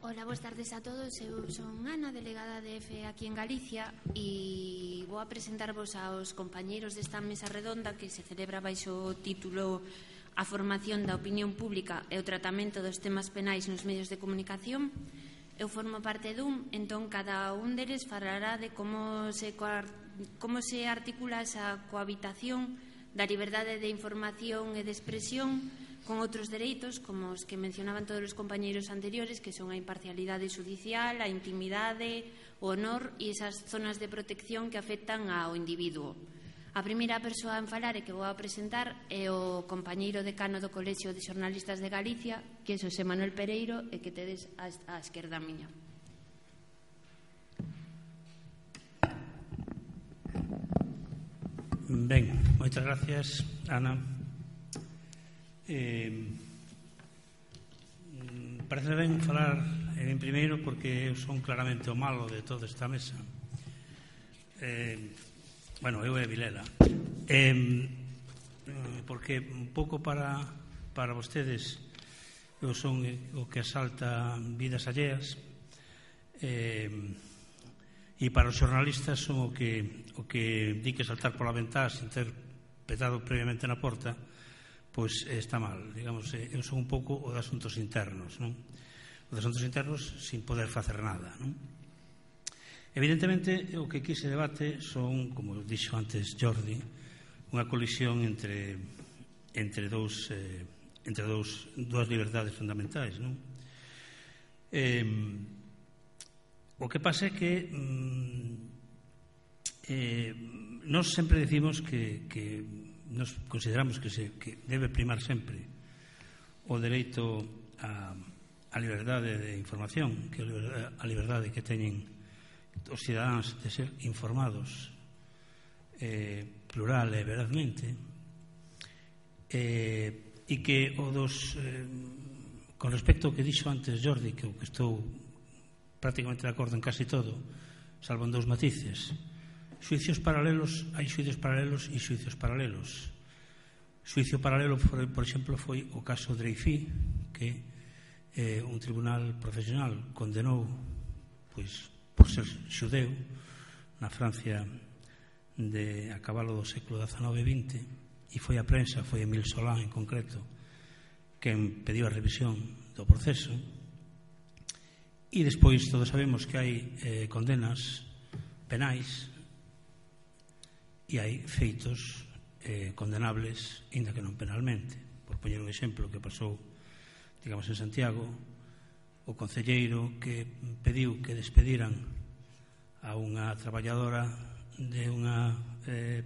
Hola, boas tardes a todos. Eu son Ana, delegada de EFE aquí en Galicia, e vou a presentarvos aos compañeiros desta mesa redonda que se celebra baixo o título A formación da opinión pública e o tratamento dos temas penais nos medios de comunicación. Eu formo parte dun, entón cada un deles falará de como se articula esa cohabitación da liberdade de información e de expresión con outros dereitos, como os que mencionaban todos os compañeiros anteriores, que son a imparcialidade xudicial, a intimidade, o honor e esas zonas de protección que afectan ao individuo. A primeira persoa en falar e que vou a presentar é o compañeiro decano do Colexio de Xornalistas de Galicia, que é Xosé Manuel Pereiro, e que tedes á esquerda miña. Ben, moitas gracias, Ana. Parece ben falar en primeiro porque eu son claramente o malo de toda esta mesa. Bueno, eu é Vilela. Porque un pouco para vostedes eu son o que asalta vidas alleas, e para os xornalistas son o que di que saltar pola ventá sin ter petado previamente na porta, pois está mal. Digamos, eu son un pouco o de asuntos internos, non? O de asuntos internos sin poder facer nada, non? Evidentemente, o que aquí se debate son, como dixo antes Jordi, unha colisión entre dúas liberdades fundamentais, non? O que pasa é que nós sempre decimos que nos consideramos que debe primar sempre o dereito á liberdade de información, que a liberdade que teñen os cidadáns de ser informados plural e verazmente, e que o dos con respecto ao que dixo antes Jordi, que estou prácticamente de acordo en casi todo, salvo en dous matices. Xuicios paralelos, hai xuicios paralelos e xuicios paralelos. Xuicio paralelo, por exemplo, foi o caso Dreyfus, que un tribunal profesional condenou pois por ser xudeu na Francia a cabalo do século XIX e XX, e foi a prensa, foi Emile Solá en concreto, quen pediu a revisión do proceso. E despois todos sabemos que hai condenas penais e hai feitos condenables, ainda que non penalmente. Por poñer un exemplo que pasou, digamos, en Santiago, o concelleiro que pediu que despediran a unha traballadora de unha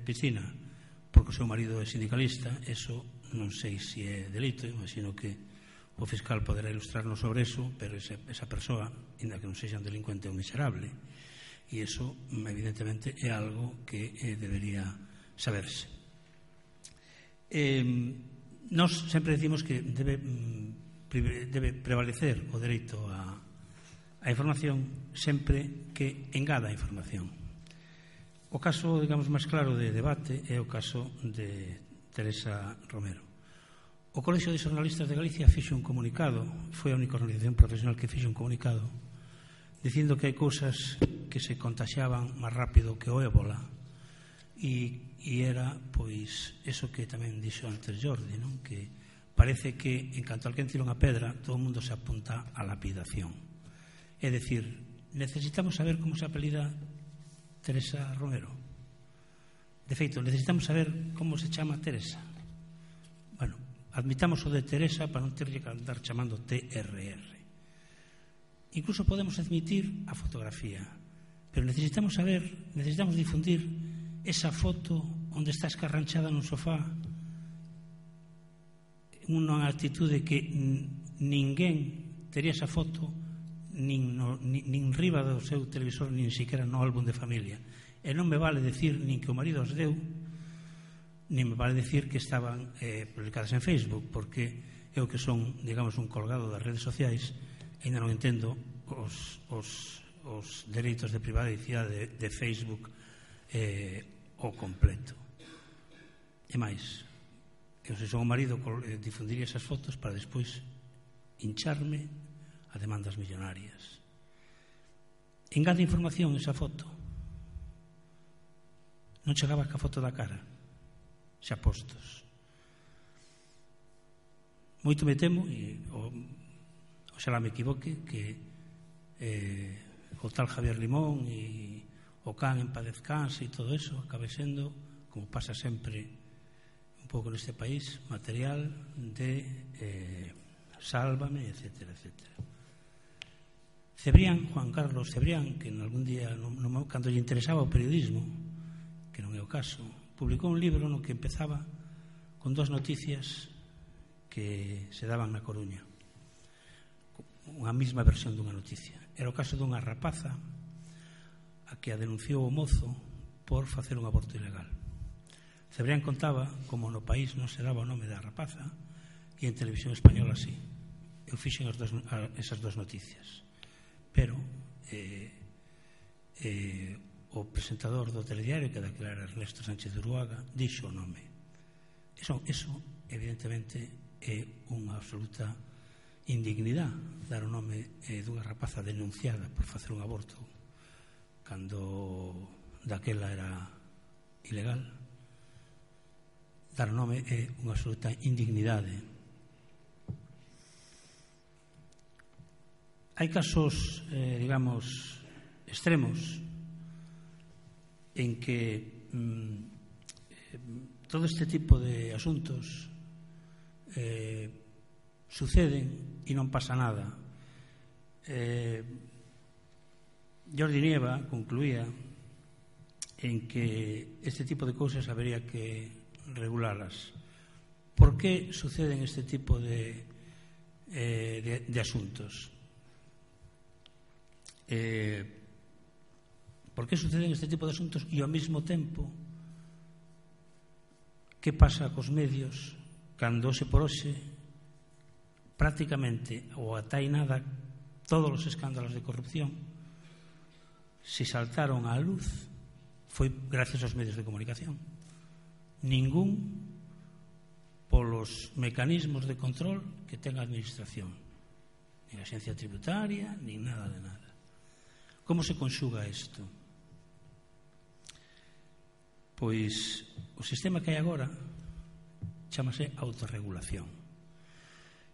piscina porque o seu marido é sindicalista. Eso non sei se é delito, imagino que o fiscal poderá ilustrarnos sobre eso, pero esa persoa, ainda que non sexa un delincuente, é un miserable. E iso, evidentemente, é algo que debería saberse. Nós sempre decimos que debe prevalecer o dereito á información sempre que engada a información. O caso, digamos, máis claro de debate é o caso de Teresa Romero. O Colexio de Xornalistas de Galicia fixo un comunicado, foi a única organización profesional que fixo un comunicado, dicindo que hai cousas que se contaxiaban máis rápido que o ébola, e era, pois, eso que tamén dixo antes Jordi, non? Que parece que, en canto alguén tira unha pedra, todo o mundo se apunta á lapidación. É dicir, necesitamos saber como se apelida Teresa Romero. De feito, necesitamos saber como se chama Teresa. Bueno, admitamos o de Teresa para non ter que andar chamando TRR. Incluso podemos admitir a fotografía, pero necesitamos saber, necesitamos difundir esa foto onde está escarranchada nun sofá, unha actitude que ninguén tería esa foto nin riba do seu televisor, nin siquiera no álbum de familia. E non me vale decir nin que o marido as deu, nin me vale decir que estaban publicadas en Facebook, porque eu que son, digamos, un colgado das redes sociais, ainda non entendo os dereitos de privacidade de Facebook ao completo. E máis, eu se son o marido difundiría esas fotos para despois hincharme a demandas millonarias. Engade información esa foto. Non chegaba ca foto da cara, xa postos. Moito me temo, e oxalá me equivoque, que o tal Javier Limón e o can en paz descanse e todo eso acabe sendo, como pasa sempre un pouco neste país, material de Sálvame, etcétera, etcétera. Cebrián, Juan Carlos Cebrián, que en algún día, cando lle interesaba o periodismo, que non é o caso, publicou un libro no que empezaba con 2 noticias que se daban na Coruña, unha mesma versión dunha noticia. Era o caso dunha rapaza a que a denunciou o mozo por facer un aborto ilegal. Cebrián contaba como no país non se daba o nome da rapaza e en televisión española así. Eu fixen esas 2 noticias, pero o presentador do telediario, que daquela era Ernesto Sánchez de Uruaga, dixo o nome. Eso evidentemente é unha absoluta indignidade, dar o nome dunha rapaza denunciada por facer un aborto cando daquela era ilegal. Dar o nome é unha absoluta indignidade. Hai casos, digamos, extremos en que todo este tipo de asuntos suceden e non pasa nada. Jordi Nieva concluía en que este tipo de cousas habería que regulalas. Por que suceden este tipo de asuntos? Por que suceden este tipo de asuntos e ao mesmo tempo que pasa cos medios cando hoxe por hoxe prácticamente ou ata hai nada todos os escándalos de corrupción se saltaron á luz foi gracias aos medios de comunicación, ningún polos mecanismos de control que ten a administración, nin a Axencia Tributaria nin nada de nada. Como se conxuga isto? Pois o sistema que hai agora chámase autorregulación.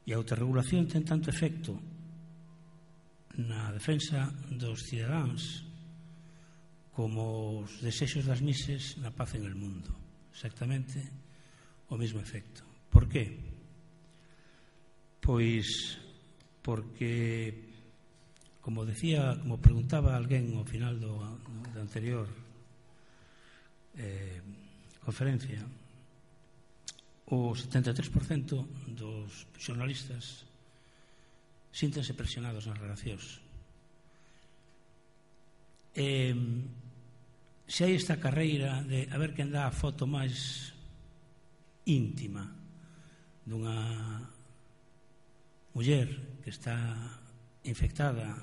E a autorregulación ten tanto efecto na defensa dos cidadáns como os desexos das mises na paz en el mundo. Exactamente o mesmo efecto. Por qué? Pois porque, como decía, como preguntaba alguén ao final da anterior conferencia, o 73% dos xornalistas síntense presionados nas redaccións. Se hai esta carreira de a ver quen dá a foto máis íntima dunha muller que está infectada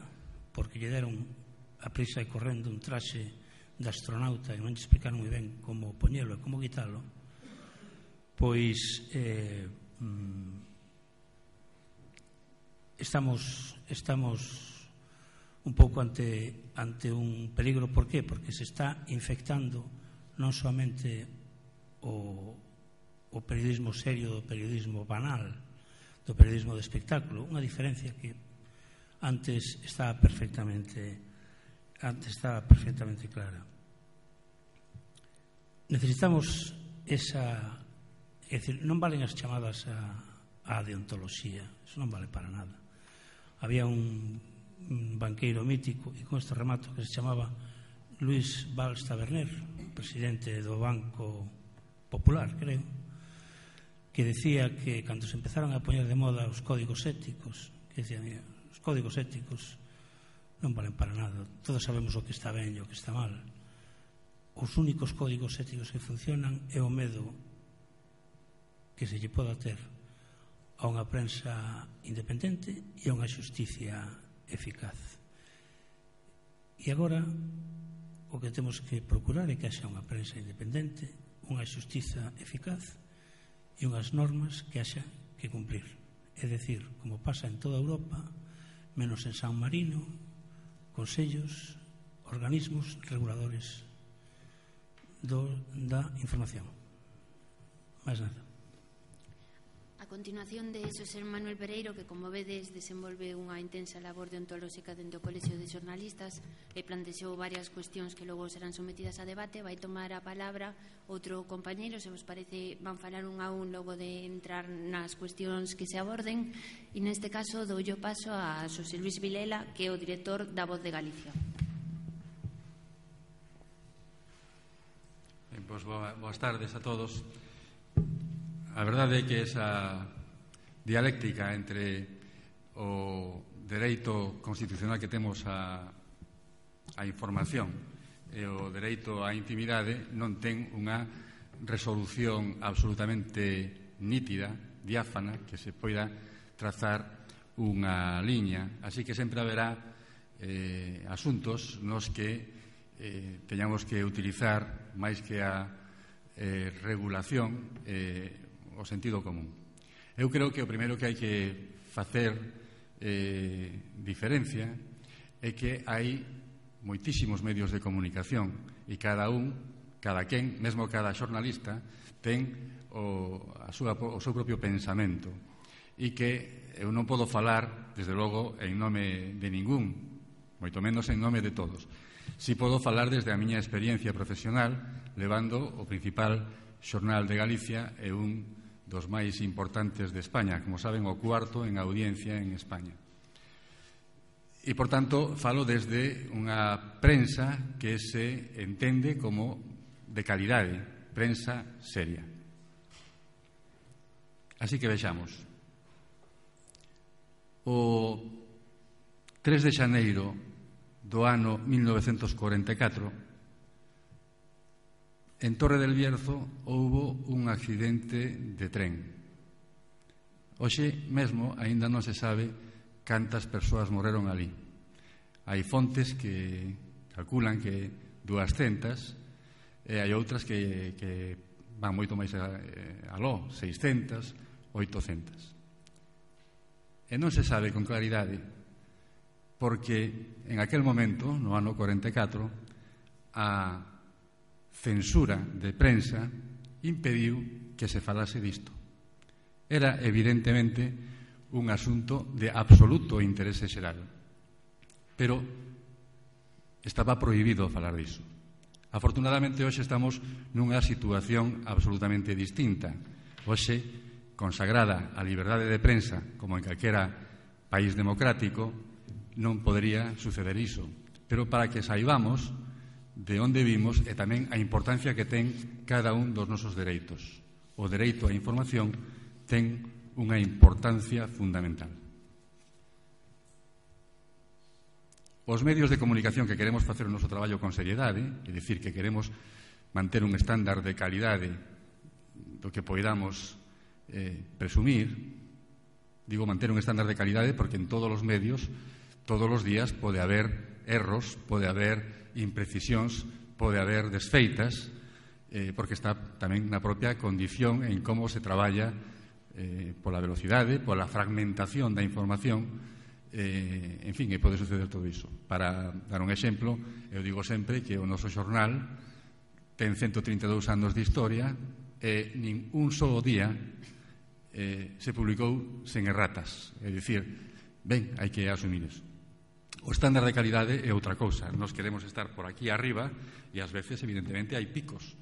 porque lle deron a prisa e correndo un traxe de astronauta e non lle explicaron moi ben como poñelo e como quitalo, pois estamos un pouco ante un peligro. Por qué? Porque se está infectando non soamente o periodismo serio, do periodismo banal, do periodismo de espectáculo, unha diferencia que antes estaba perfectamente clara. Necesitamos esa, é dicir, non valen as chamadas a deontoloxía, eso non vale para nada. Había un banqueiro mítico, e con este remato, que se chamaba Luis Valls Taberner, presidente do Banco Popular, creo, que decía que cando se empezaron a poñer de moda os códigos éticos, que decían, os códigos éticos non valen para nada, todos sabemos o que está ben e o que está mal. Os únicos códigos éticos que funcionan é o medo que se lle poda ter a unha prensa independente e a unha xusticia eficaz. E agora o que temos que procurar é que haxa unha prensa independente, unha xustiza eficaz e unhas normas que haxa que cumprir. É dicir, como pasa en toda Europa, menos en San Marino, consellos, organismos reguladores da información. Máis nada. A continuación de Xosé Manuel Pereiro, que como vedes desenvolve unha intensa labor deontolóxica dentro do Colexio de Xornalistas e plantexou varias cuestións que logo serán sometidas a debate, vai tomar a palabra outro compañeiro, se vos parece van falar un a un logo de entrar nas cuestións que se aborden, e neste caso doulle o paso a Xosé Luis Vilela, que é o director da Voz de Galicia. Pois boas tardes a todos. A verdade é que esa dialéctica entre o dereito constitucional que temos a información e o dereito á intimidade non ten unha resolución absolutamente nítida, diáfana, que se poida trazar unha liña. Así que sempre haberá asuntos nos que teñamos que utilizar máis que a regulación o sentido común. Eu creo que o primeiro que hai que facer diferencia é que hai moitísimos medios de comunicación e cada quen, mesmo cada xornalista, ten o seu propio pensamento e que eu non podo falar, desde logo, en nome de ningún, moito menos en nome de todos. Si podo falar desde a miña experiencia profesional, levando o principal xornal de Galicia e un dos máis importantes de España, como saben, o cuarto en audiencia en España. E, por tanto, falo desde unha prensa que se entende como de calidade, prensa seria. Así que vexamos. O 3 de xaneiro do ano 1944, en Torre del Bierzo houbo un accidente de tren. Hoxe mesmo aínda non se sabe cantas persoas morreron ali. Hai fontes que calculan que 200 e hai outras que van moito máis aló, 600, 800. E non se sabe con claridade porque en aquel momento, no ano 44, a censura de prensa impediu que se falase disto. Era evidentemente un asunto de absoluto interese xeral, pero estaba prohibido falar diso. Afortunadamente, hoxe estamos nunha situación absolutamente distinta. Hoxe, consagrada a liberdade de prensa, como en calquera país democrático, non podería suceder iso. Pero para que saibamos de onde vimos e tamén a importancia que ten cada un dos nosos dereitos. O dereito á información ten unha importancia fundamental. Os medios de comunicación que queremos facer o noso traballo con seriedade, é dicir, que queremos manter un estándar de calidade do que poidamos presumir, digo manter un estándar de calidade porque en todos os medios, todos os días pode haber erros, pode haber imprecisións, pode haber desfeitas, porque está tamén na propia condición en como se traballa pola velocidade, pola fragmentación da información, en fin, pode suceder todo iso. Para dar un exemplo, eu digo sempre que o noso xornal ten 132 anos de historia e nin un só día se publicou sen erratas. É dicir, ben, hai que asumir iso. O estándar de calidade é outra cousa. Nos queremos estar por aquí arriba e ás veces, evidentemente, hai picos.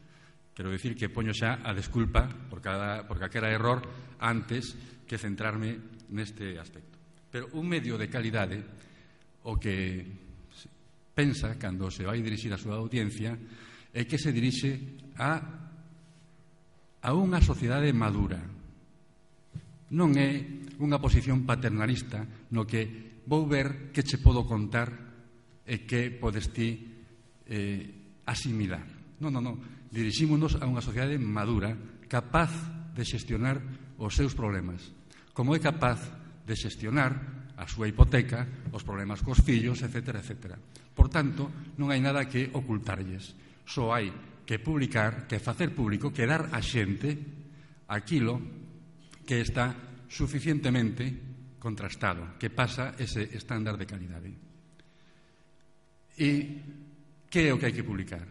Quero dicir que poño xa a desculpa por calquera error antes que centrarme neste aspecto. Pero un medio de calidade o que pensa cando se vai dirixir a súa audiencia é que se dirixe a unha sociedade madura. Non é unha posición paternalista no que vou ver que che podo contar e que podes ti asimilar. Non. Dirixímonos a unha sociedade madura, capaz de xestionar os seus problemas, como é capaz de xestionar a súa hipoteca, os problemas cos fillos, etc. Por tanto, non hai nada que ocultarlles. Só hai que publicar, que facer público, que dar a xente aquilo que está suficientemente contrastado, que pasa ese estándar de calidade. E que é o que hai que publicar?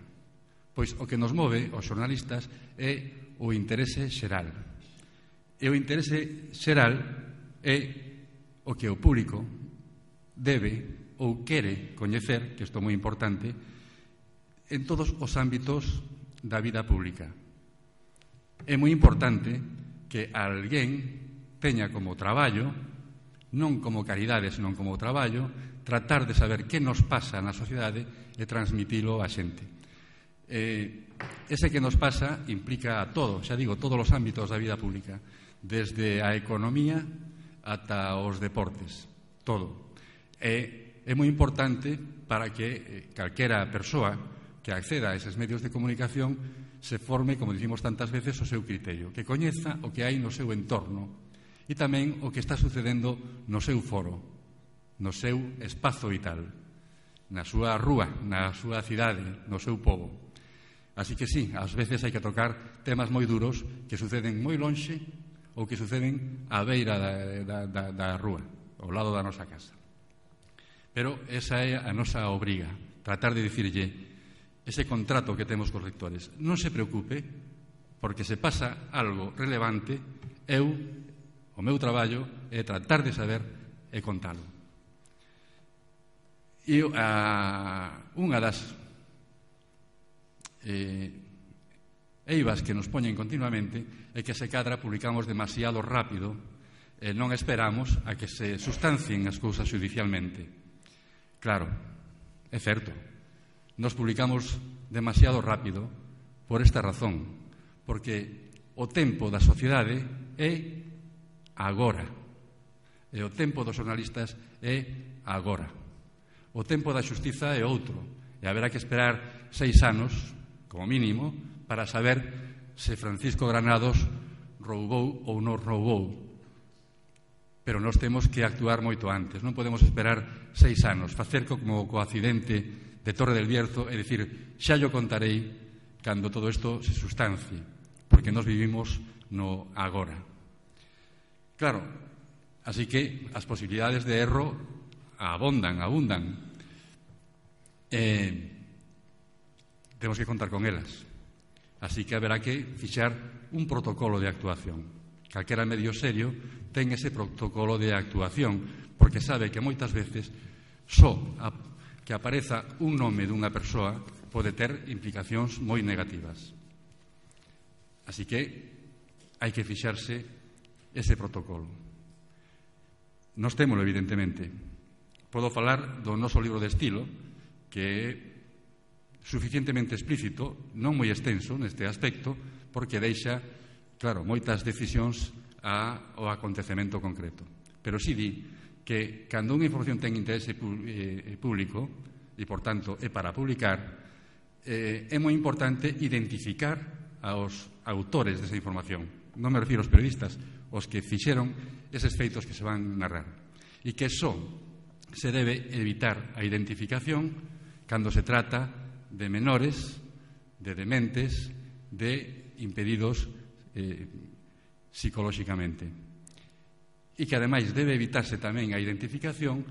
Pois o que nos move os xornalistas é o interese xeral. E o interese xeral é o que o público debe ou quere coñecer, que isto é moi importante, en todos os ámbitos da vida pública. É moi importante que alguén teña como traballo, non como caridade, senón como traballo, tratar de saber que nos pasa na sociedade e transmitilo á xente. Ese que nos pasa implica a todo, xa digo, todos os ámbitos da vida pública, desde a economía ata os deportes, todo. É moi importante para que calquera persoa que acceda a eses medios de comunicación se forme, como dicimos tantas veces, o seu criterio, que coñeza o que hai no seu entorno e tamén o que está sucedendo no seu foro, no seu espazo vital, na súa rúa, na súa cidade, no seu pobo. Así que sí, ás veces hai que tocar temas moi duros que suceden moi lonxe ou que suceden á beira da rúa, ao lado da nosa casa. Pero esa é a nosa obriga, tratar de dicirlle ese contrato que temos cos lectores. Non se preocupe, porque se pasa algo relevante, o meu traballo é tratar de saber e contalo. E unha das eivas que nos poñen continuamente é que se cadra publicamos demasiado rápido e non esperamos a que se sustancien as cousas judicialmente. Claro, é certo. Nos publicamos demasiado rápido por esta razón, porque o tempo da sociedade é agora, e o tempo dos xornalistas é agora. O tempo da xustiza é outro, e haberá que esperar 6 anos, como mínimo, para saber se Francisco Granados roubou ou non roubou. Pero nós temos que actuar moito antes, non podemos esperar 6 anos, facer como co accidente de Torre del Bierzo e dicir, xa yo contarei cando todo isto se sustancie, porque nós vivimos no agora. Claro, así que as posibilidades de erro abundan. Temos que contar con elas. Así que haberá que fixar un protocolo de actuación. Calquera medio serio ten ese protocolo de actuación, porque sabe que moitas veces só que apareza un nome dunha persoa pode ter implicacións moi negativas. Así que hai que fixarse ese protocolo. Nós témolo, evidentemente. Podo falar do noso libro de estilo, que é suficientemente explícito, non moi extenso neste aspecto, porque deixa, claro, moitas decisións ao acontecemento concreto. Pero si di que cando unha información ten interese público e, por tanto, é para publicar, é moi importante identificar aos autores desa información. Non me refiro aos periodistas, os que fixeron eses feitos que se van narrar. E que só se debe evitar a identificación cando se trata de menores, de dementes, de impedidos psicolóxicamente. E que, ademais, debe evitarse tamén a identificación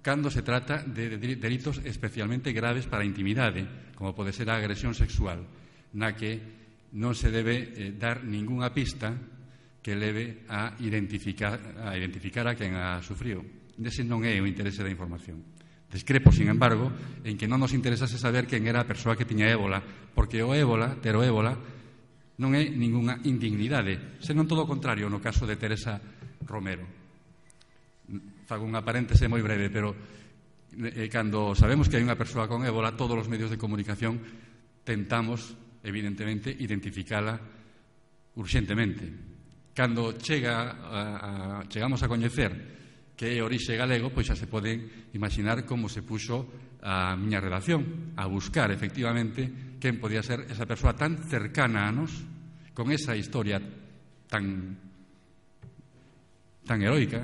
cando se trata de delitos especialmente graves para a intimidade, como pode ser a agresión sexual, na que non se debe dar ningunha pista que leve a identificar a quen a sufriu. Ese non é o interese da información. Discrepo, sin embargo, en que non nos interesase saber quen era a persoa que tiña ébola, porque ter o ébola non é ningunha indignidade, senón todo o contrario no caso de Teresa Romero. Fago unha paréntese moi breve, pero cando sabemos que hai unha persoa con ébola, todos os medios de comunicación tentamos, evidentemente, identificala urxentemente. Cando chegamos a coñecer que é orixe galego, pois xa se poden imaginar como se puxo a miña redacción a buscar, efectivamente, quen podía ser esa persoa tan cercana a nos, con esa historia tan heroica,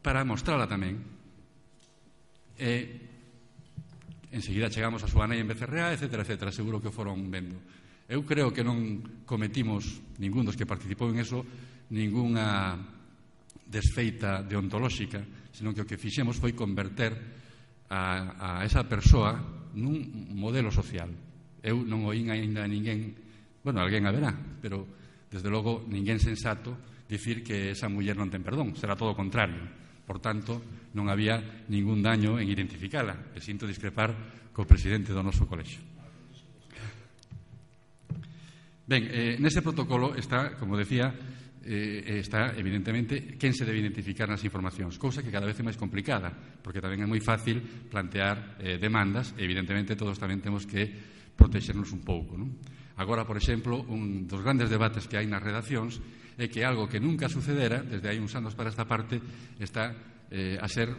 para mostrala tamén. Enseguida chegamos a súa nai en Becerrea, etcétera, seguro que o foron vendo. Eu creo que non cometimos, ningún dos que participou en eso, ninguna desfeita deontolóxica, senón que o que fixemos foi converter a esa persoa nun modelo social. Eu non oín ainda a ninguén, bueno, alguén haberá, pero desde logo ninguén sensato dicir que esa muller non ten perdón, será todo o contrario. Por tanto, non había ningún daño en identificala, e sinto discrepar co presidente do noso colexio. Ben, nese protocolo está, como decía, está evidentemente quen se debe identificar nas informacións, cousa que cada vez é máis complicada, porque tamén é moi fácil plantear demandas, e evidentemente todos tamén temos que protexernos un pouco, non? Agora, por exemplo, un dos grandes debates que hai nas redaccións é que algo que nunca sucedera, desde hai uns anos para esta parte, está a ser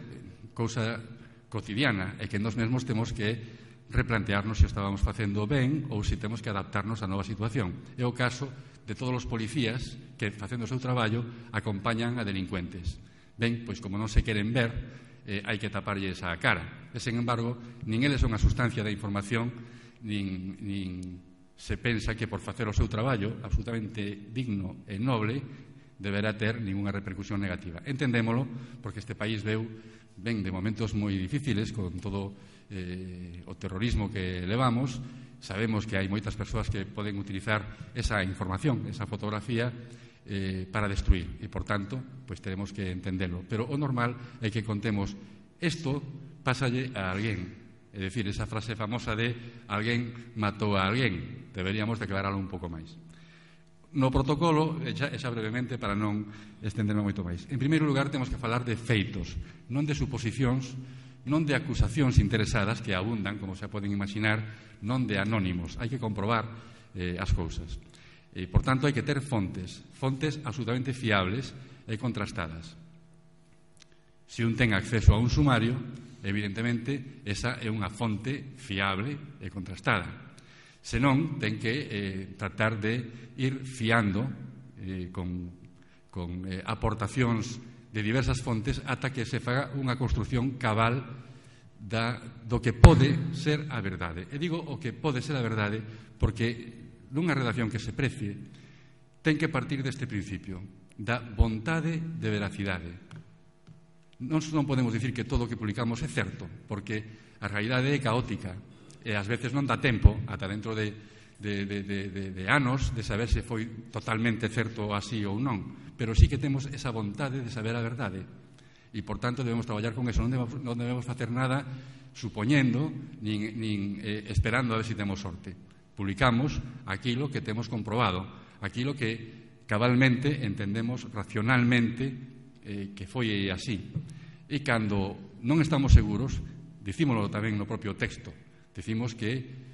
cousa cotidiana, e que nós mesmos temos que replantearnos se estábamos facendo ben ou se temos que adaptarnos á nova situación. É o caso de todos os policías que, facendo o seu traballo, acompañan a delincuentes. Ben, pois como non se queren ver, hai que taparlles a cara. E, sen embargo, nin eles son a sustancia da información, nin se pensa que por facer o seu traballo absolutamente digno e noble deberá ter ninguna repercusión negativa. Entendémolo, porque este país ven de momentos moi difíciles con todo o terrorismo que levamos. Sabemos que hai moitas persoas que poden utilizar esa información, esa fotografía para destruir, e por tanto pois teremos que entendelo, pero o normal é que contemos isto pásalle a alguén, é dicir, esa frase famosa de alguén matou a alguén, deberíamos declararlo un pouco máis. No protocolo, xa brevemente para non estenderme moito máis, en primeiro lugar temos que falar de feitos, non de suposicións, non de acusacións interesadas que abundan, como se poden imaginar, non de anónimos. Hai que comprobar as cousas. Por tanto, hai que ter fontes absolutamente fiables e contrastadas. Se un ten acceso a un sumario, evidentemente, esa é unha fonte fiable e contrastada. Senón, ten que tratar de ir fiando con aportacións de diversas fontes ata que se faga unha construción cabal do que pode ser a verdade. E digo o que pode ser a verdade porque nunha redacción que se precie ten que partir deste principio da vontade de veracidade. Non podemos dicir que todo o que publicamos é certo, porque a realidade é caótica e ás veces non dá tempo ata dentro de anos de saber se foi totalmente certo así ou non, pero sí que temos esa vontade de saber a verdade e, por tanto, debemos traballar con eso. Non debemos facer nada supoñendo nin esperando a ver se temos sorte. Publicamos aquilo que temos comprobado, aquilo que cabalmente entendemos racionalmente que foi así. E cando non estamos seguros, dicímolo tamén no propio texto, dicimos que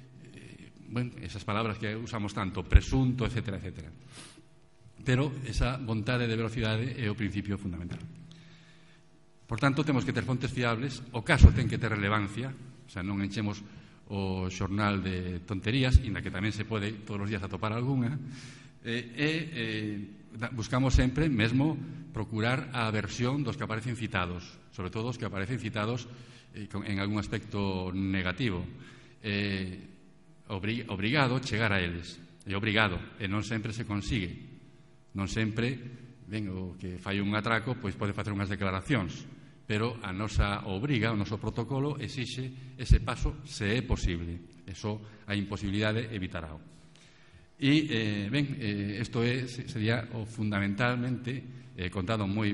esas palabras que usamos tanto, presunto, etcétera, etcétera. Pero esa vontade de velocidade é o principio fundamental. Por tanto, temos que ter fontes fiables, o caso ten que ter relevancia, o sea, non enchemos o xornal de tonterías, inda que tamén se pode todos os días atopar algunha, buscamos sempre mesmo procurar a versión dos que aparecen citados, sobre todo os que aparecen citados en algún aspecto negativo. Obrigado chegar a eles, é obrigado, e non sempre se consigue, non sempre o que fai un atraco pois pode facer unhas declaracións, pero a nosa obriga, o noso protocolo exixe ese paso se é posible, eso a imposibilidade evitará. E isto sería fundamentalmente contado moi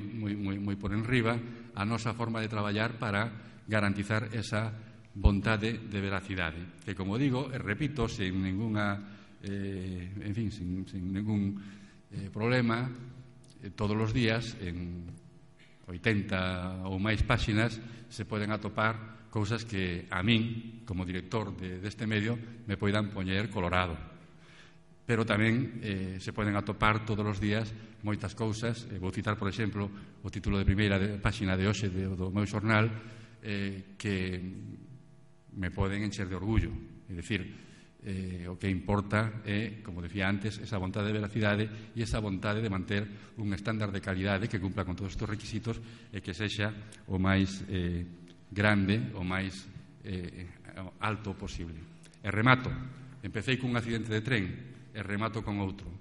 por enriba a nosa forma de traballar para garantizar esa vontade de veracidade, que, como digo, repito, sin ninguna sin ningún problema, todos os días en 80 ou máis páxinas se poden atopar cousas que a min, como director deste medio, me poidan poñer colorado, pero tamén se poden atopar todos os días moitas cousas. Vou citar, por exemplo, o título de primeira páxina de hoxe do meu xornal, que me poden encher de orgullo. É dicir, o que importa é, como decía antes, esa vontade de veracidade e esa vontade de manter un estándar de calidade que cumpla con todos estes requisitos e que sexa o máis grande, o máis alto posible. E remato. Empecé cun accidente de tren e remato con outro.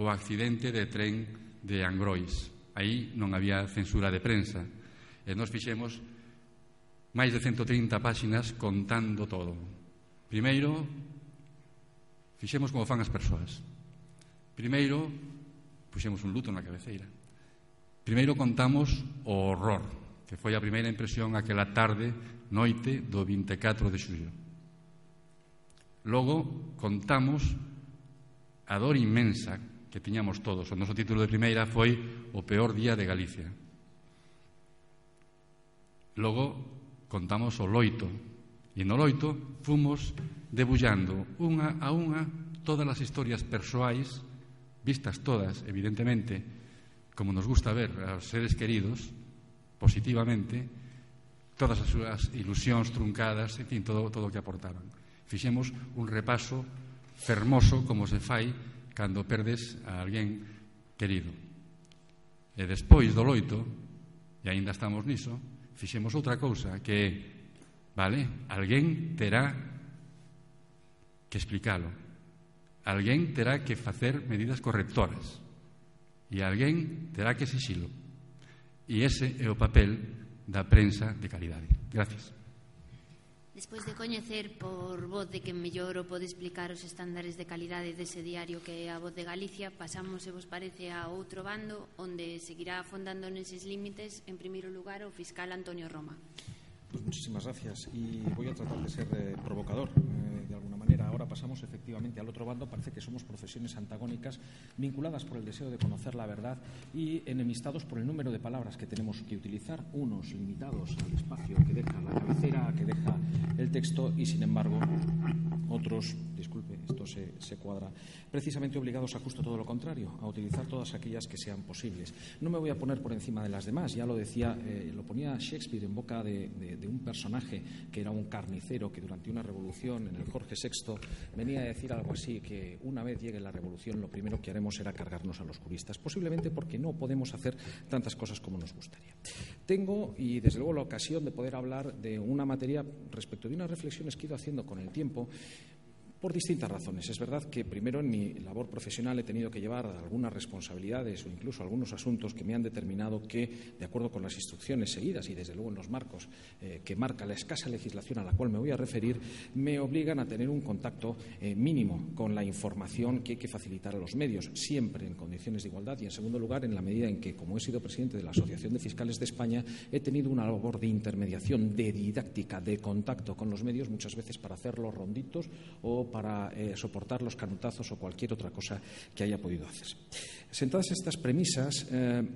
O accidente de tren de Angrois. Aí non había censura de prensa. E nos fixemos máis de 130 páxinas contando todo. Primeiro, fixemos como fan as persoas. Primeiro, puxemos un luto na cabeceira. Primeiro contamos o horror, que foi a primeira impresión aquela tarde, noite do 24 de xullo. Logo, contamos a dor inmensa que tiñamos todos. O noso título de primeira foi O peor día de Galicia. Logo, contamos o loito. E no loito fomos debullando unha a unha todas as historias persoais, vistas todas, evidentemente, como nos gusta ver aos seres queridos, positivamente, todas as súas ilusións truncadas, en fin, todo o que aportaban. Fixemos un repaso fermoso como se fai cando perdes a alguén querido. E despois do loito, e aínda estamos niso, fixemos outra cousa que é, vale, alguén terá que explicalo, alguén terá que facer medidas correctoras e alguén terá que exixilo, e ese é o papel da prensa de calidade. Gracias. Despois de coñecer por voz de que mellor o pode explicar os estándares de calidade dese diario que é a Voz de Galicia, pasamos, se vos parece, a outro bando onde seguirá afondando neses límites, en primeiro lugar, o fiscal Antonio Roma. Pues muchísimas gracias y voy a tratar de ser provocador de alguna manera. Ahora pasamos efectivamente al otro bando. Parece que somos profesiones antagónicas vinculadas por el deseo de conocer la verdad y enemistados por el número de palabras que tenemos que utilizar, unos limitados al espacio que deja la cabecera, que deja el texto y sin embargo otros, disculpe, esto se cuadra, precisamente obligados a justo todo lo contrario, a utilizar todas aquellas que sean posibles. No me voy a poner por encima de las demás, ya lo decía, lo ponía Shakespeare en boca de un personaje que era un carnicero que durante una revolución en el Jorge VI venía a decir algo así, que una vez llegue la revolución lo primero que haremos será cargarnos a los juristas, posiblemente porque no podemos hacer tantas cosas como nos gustaría. Tengo, y desde luego, la ocasión de poder hablar de una materia respecto de unas reflexiones que he ido haciendo con el tiempo, por distintas razones. Es verdad que primero en mi labor profesional he tenido que llevar algunas responsabilidades o incluso algunos asuntos que me han determinado que, de acuerdo con las instrucciones seguidas y desde luego en los marcos que marca la escasa legislación a la cual me voy a referir, me obligan a tener un contacto mínimo con la información que hay que facilitar a los medios, siempre en condiciones de igualdad y, en segundo lugar, en la medida en que, como he sido presidente de la Asociación de Fiscales de España, he tenido una labor de intermediación, de didáctica, de contacto con los medios, muchas veces para hacer los ronditos o para soportar los canutazos o cualquier otra cosa que haya podido hacerse. Sentadas estas premisas,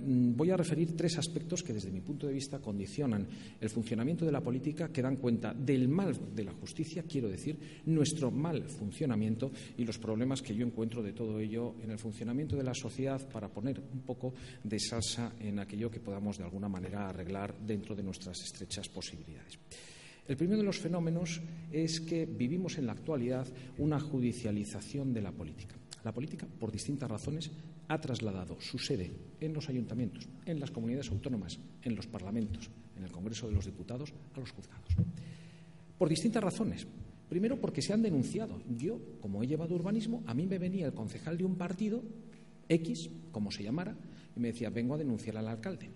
voy a referir tres aspectos que, desde mi punto de vista, condicionan el funcionamiento de la política, que dan cuenta del mal de la justicia, quiero decir, nuestro mal funcionamiento y los problemas que yo encuentro de todo ello en el funcionamiento de la sociedad, para poner un poco de salsa en aquello que podamos de alguna manera arreglar dentro de nuestras estrechas posibilidades. El primero de los fenómenos es que vivimos en la actualidad una judicialización de la política. La política, por distintas razones, ha trasladado su sede en los ayuntamientos, en las comunidades autónomas, en los parlamentos, en el Congreso de los Diputados, a los juzgados. Por distintas razones. Primero, porque se han denunciado. Yo, como he llevado urbanismo, a mí me venía el concejal de un partido, X, como se llamara, y me decía, vengo a denunciar al alcalde.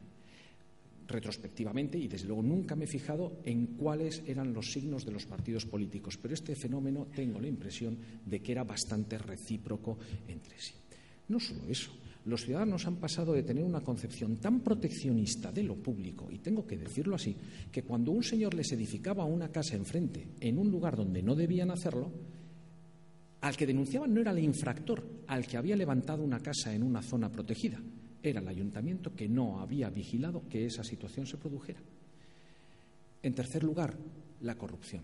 Retrospectivamente, y desde luego nunca me he fijado en cuáles eran los signos de los partidos políticos, pero este fenómeno tengo la impresión de que era bastante recíproco entre sí. No solo eso, los ciudadanos han pasado de tener una concepción tan proteccionista de lo público, y tengo que decirlo así, que cuando un señor les edificaba una casa enfrente en un lugar donde no debían hacerlo, al que denunciaban no era el infractor, al que había levantado una casa en una zona protegida. Era el ayuntamiento que no había vigilado que esa situación se produjera. En tercer lugar, la corrupción.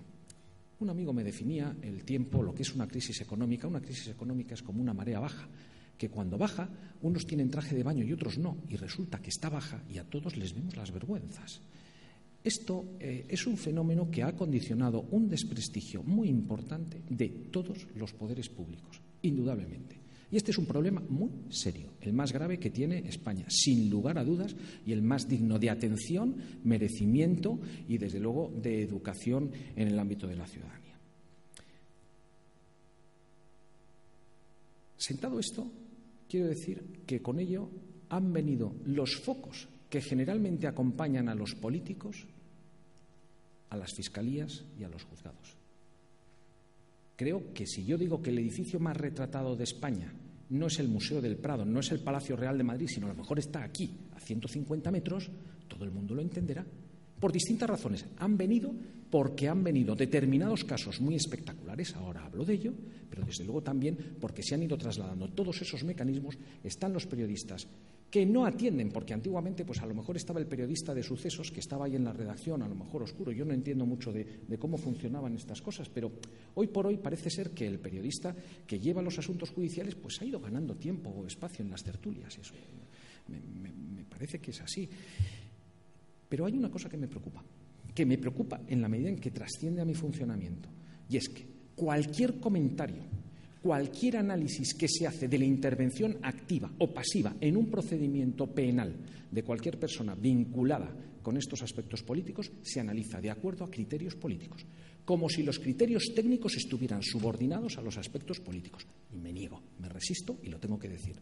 Un amigo me definía el tiempo, lo que es una crisis económica. Una crisis económica es como una marea baja, que cuando baja, unos tienen traje de baño y otros no, y resulta que está baja y a todos les vemos las vergüenzas. Esto es un fenómeno que ha condicionado un desprestigio muy importante de todos los poderes públicos, indudablemente. Y este es un problema muy serio, el más grave que tiene España, sin lugar a dudas, y el más digno de atención, merecimiento y, desde luego, de educación en el ámbito de la ciudadanía. Sentado esto, quiero decir que con ello han venido los focos que generalmente acompañan a los políticos a las fiscalías y a los juzgados. Creo que si yo digo que el edificio más retratado de España no es el Museo del Prado, no es el Palacio Real de Madrid, sino a lo mejor está aquí, a 150 metros, todo el mundo lo entenderá. Por distintas razones. Han venido porque han venido determinados casos muy espectaculares, ahora hablo de ello, pero desde luego también porque se han ido trasladando todos esos mecanismos. Están los periodistas que no atienden, porque antiguamente pues a lo mejor estaba el periodista de sucesos que estaba ahí en la redacción, a lo mejor oscuro. Yo no entiendo mucho de cómo funcionaban estas cosas, pero hoy por hoy parece ser que el periodista que lleva los asuntos judiciales pues ha ido ganando tiempo o espacio en las tertulias. Eso me parece que es así. Pero hay una cosa que me preocupa en la medida en que trasciende a mi funcionamiento, y es que cualquier comentario, cualquier análisis que se hace de la intervención activa o pasiva en un procedimiento penal de cualquier persona vinculada con estos aspectos políticos se analiza de acuerdo a criterios políticos, como si los criterios técnicos estuvieran subordinados a los aspectos políticos. Y me niego, me resisto y lo tengo que decir.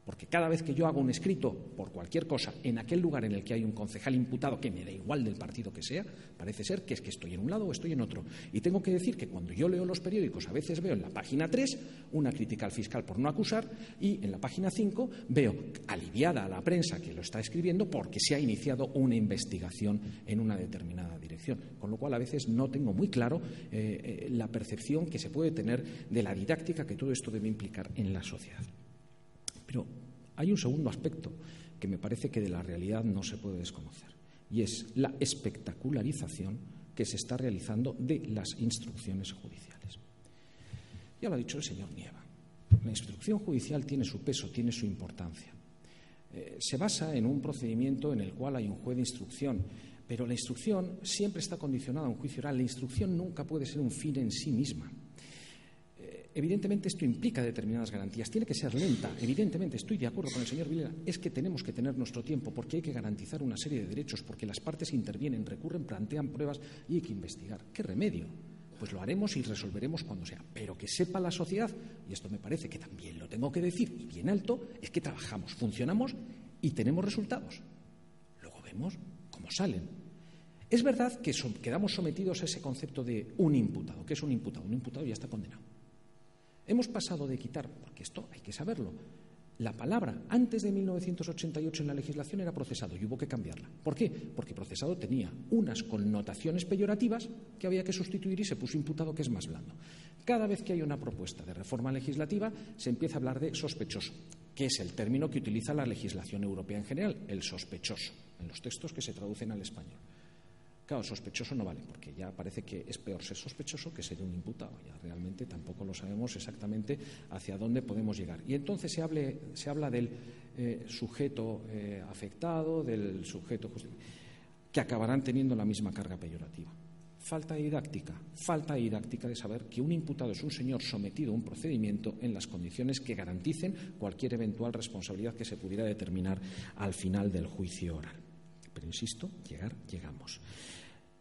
Porque cada vez que yo hago un escrito por cualquier cosa en aquel lugar en el que hay un concejal imputado, que me da igual del partido que sea, parece ser que es que estoy en un lado o estoy en otro. Y tengo que decir que cuando yo leo los periódicos a veces veo en la página 3 una crítica al fiscal por no acusar y en la página 5 veo aliviada a la prensa que lo está escribiendo porque se ha iniciado una investigación en una determinada dirección. Con lo cual a veces no tengo muy claro la percepción que se puede tener de la didáctica que todo esto debe implicar en la sociedad. Pero hay un segundo aspecto que me parece que de la realidad no se puede desconocer, y es la espectacularización que se está realizando de las instrucciones judiciales. Ya lo ha dicho el señor Nieva. La instrucción judicial tiene su peso, tiene su importancia. Se basa en un procedimiento en el cual hay un juez de instrucción, pero la instrucción siempre está condicionada a un juicio oral. La instrucción nunca puede ser un fin en sí misma. Evidentemente esto implica determinadas garantías. Tiene que ser lenta. Evidentemente estoy de acuerdo con el señor Vilera. Es que tenemos que tener nuestro tiempo porque hay que garantizar una serie de derechos, porque las partes intervienen, recurren, plantean pruebas y hay que investigar. ¿Qué remedio? Pues lo haremos y resolveremos cuando sea. Pero que sepa la sociedad, y esto me parece que también lo tengo que decir y bien alto, es que trabajamos, funcionamos y tenemos resultados. Luego vemos cómo salen. Es verdad que quedamos sometidos a ese concepto de un imputado. ¿Qué es un imputado? Un imputado ya está condenado. Hemos pasado de quitar, porque esto hay que saberlo, la palabra antes de 1988 en la legislación era procesado y hubo que cambiarla. ¿Por qué? Porque procesado tenía unas connotaciones peyorativas que había que sustituir y se puso imputado, que es más blando. Cada vez que hay una propuesta de reforma legislativa se empieza a hablar de sospechoso, que es el término que utiliza la legislación europea en general, el sospechoso, en los textos que se traducen al español. Claro, sospechoso no vale, porque ya parece que es peor ser sospechoso que ser un imputado. Ya realmente tampoco lo sabemos exactamente hacia dónde podemos llegar. Y entonces se habla del sujeto afectado, del sujeto que acabarán teniendo la misma carga peyorativa. Falta didáctica de saber que un imputado es un señor sometido a un procedimiento en las condiciones que garanticen cualquier eventual responsabilidad que se pudiera determinar al final del juicio oral. Pero insisto, llegamos.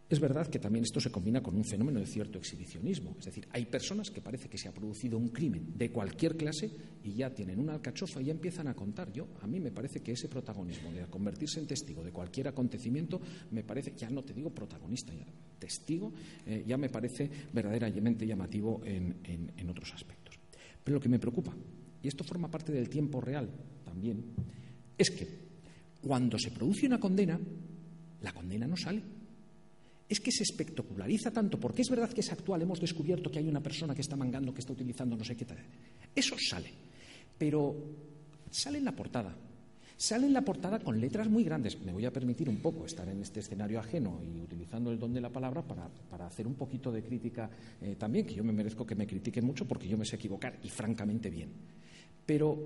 Es verdad que también esto se combina con un fenómeno de cierto exhibicionismo. Es decir, hay personas que parece que se ha producido un crimen de cualquier clase y ya tienen una alcachofa y ya empiezan a contar. A mí me parece que ese protagonismo de convertirse en testigo de cualquier acontecimiento, me parece, ya no te digo protagonista, ya testigo, ya me parece verdaderamente llamativo en otros aspectos. Pero lo que me preocupa, y esto forma parte del tiempo real también, es que cuando se produce una condena, la condena no sale. Es que se espectaculariza tanto, porque es verdad que es actual, hemos descubierto que hay una persona que está mangando, que está utilizando no sé qué tal. Eso sale, pero sale en la portada. Sale en la portada con letras muy grandes. Me voy a permitir un poco estar en este escenario ajeno y utilizando el don de la palabra para hacer un poquito de crítica también, que yo me merezco que me critiquen mucho porque yo me sé equivocar y francamente bien. Pero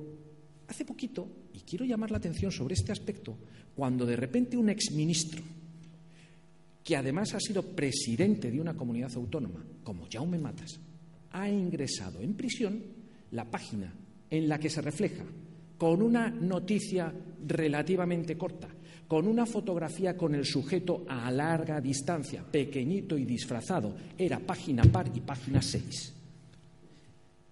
hace poquito, y quiero llamar la atención sobre este aspecto, cuando de repente un exministro, que además ha sido presidente de una comunidad autónoma, como Jaume Matas, ha ingresado en prisión, la página en la que se refleja, con una noticia relativamente corta, con una fotografía con el sujeto a larga distancia, pequeñito y disfrazado, era página par y página 6.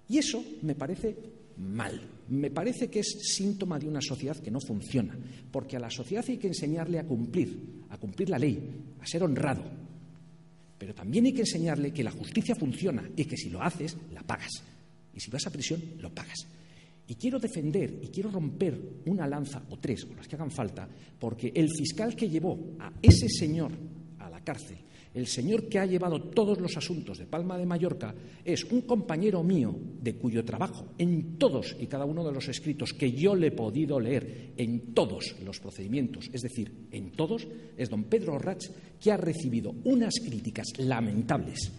Y eso me parece mal. Me parece que es síntoma de una sociedad que no funciona, porque a la sociedad hay que enseñarle a cumplir la ley, a ser honrado. Pero también hay que enseñarle que la justicia funciona y que si lo haces, la pagas. Y si vas a prisión, lo pagas. Y quiero defender y quiero romper una lanza o tres, o las que hagan falta, porque el fiscal que llevó a ese señor a la cárcel, el señor que ha llevado todos los asuntos de Palma de Mallorca, es un compañero mío de cuyo trabajo en todos y cada uno de los escritos que yo le he podido leer en todos los procedimientos, es decir, en todos, es don Pedro Orrach, que ha recibido unas críticas lamentables,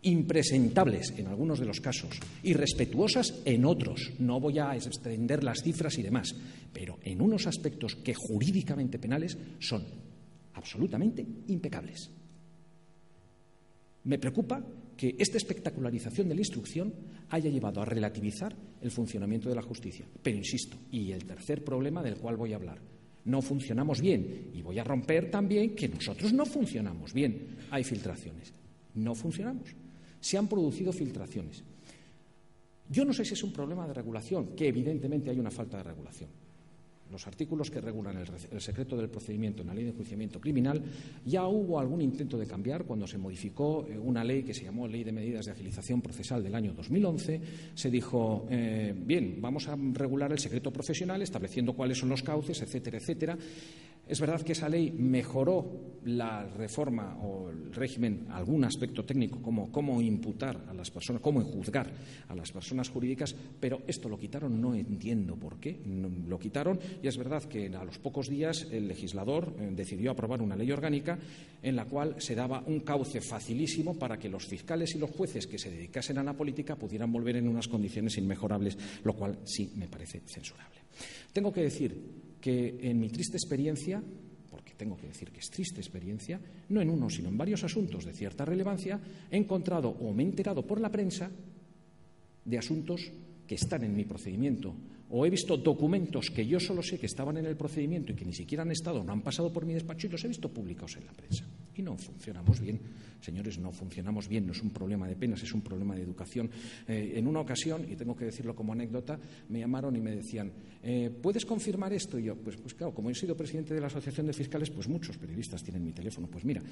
impresentables en algunos de los casos, irrespetuosas en otros. No voy a extender las cifras y demás, pero en unos aspectos que jurídicamente penales son absolutamente impecables. Me preocupa que esta espectacularización de la instrucción haya llevado a relativizar el funcionamiento de la justicia. Pero insisto, y el tercer problema del cual voy a hablar, no funcionamos bien, y voy a romper también que nosotros no funcionamos bien. Hay filtraciones, no funcionamos. Se han producido filtraciones. Yo no sé si es un problema de regulación, que evidentemente hay una falta de regulación. Los artículos que regulan el secreto del procedimiento en la Ley de Enjuiciamiento Criminal, ya hubo algún intento de cambiar cuando se modificó una ley que se llamó Ley de Medidas de Agilización Procesal del año 2011. Se dijo, bien, vamos a regular el secreto profesional estableciendo cuáles son los cauces, etcétera, etcétera. Es verdad que esa ley mejoró la reforma o el régimen, algún aspecto técnico, como cómo imputar a las personas, cómo juzgar a las personas jurídicas, pero esto lo quitaron, no entiendo por qué, lo quitaron, y es verdad que a los pocos días el legislador decidió aprobar una ley orgánica en la cual se daba un cauce facilísimo para que los fiscales y los jueces que se dedicasen a la política pudieran volver en unas condiciones inmejorables, lo cual sí me parece censurable. Tengo que decir que en mi triste experiencia, porque tengo que decir que es triste experiencia, no en uno sino en varios asuntos de cierta relevancia, he encontrado o me he enterado por la prensa de asuntos que están en mi procedimiento, o he visto documentos que yo solo sé que estaban en el procedimiento y que ni siquiera han estado, no han pasado por mi despacho y los he visto publicados en la prensa. Y no funcionamos bien, señores, no funcionamos bien, no es un problema de penas, es un problema de educación. En una ocasión, y tengo que decirlo como anécdota, me llamaron y me decían, ¿puedes confirmar esto? Y yo, pues claro, como he sido presidente de la Asociación de Fiscales, pues muchos periodistas tienen mi teléfono. Pues mira,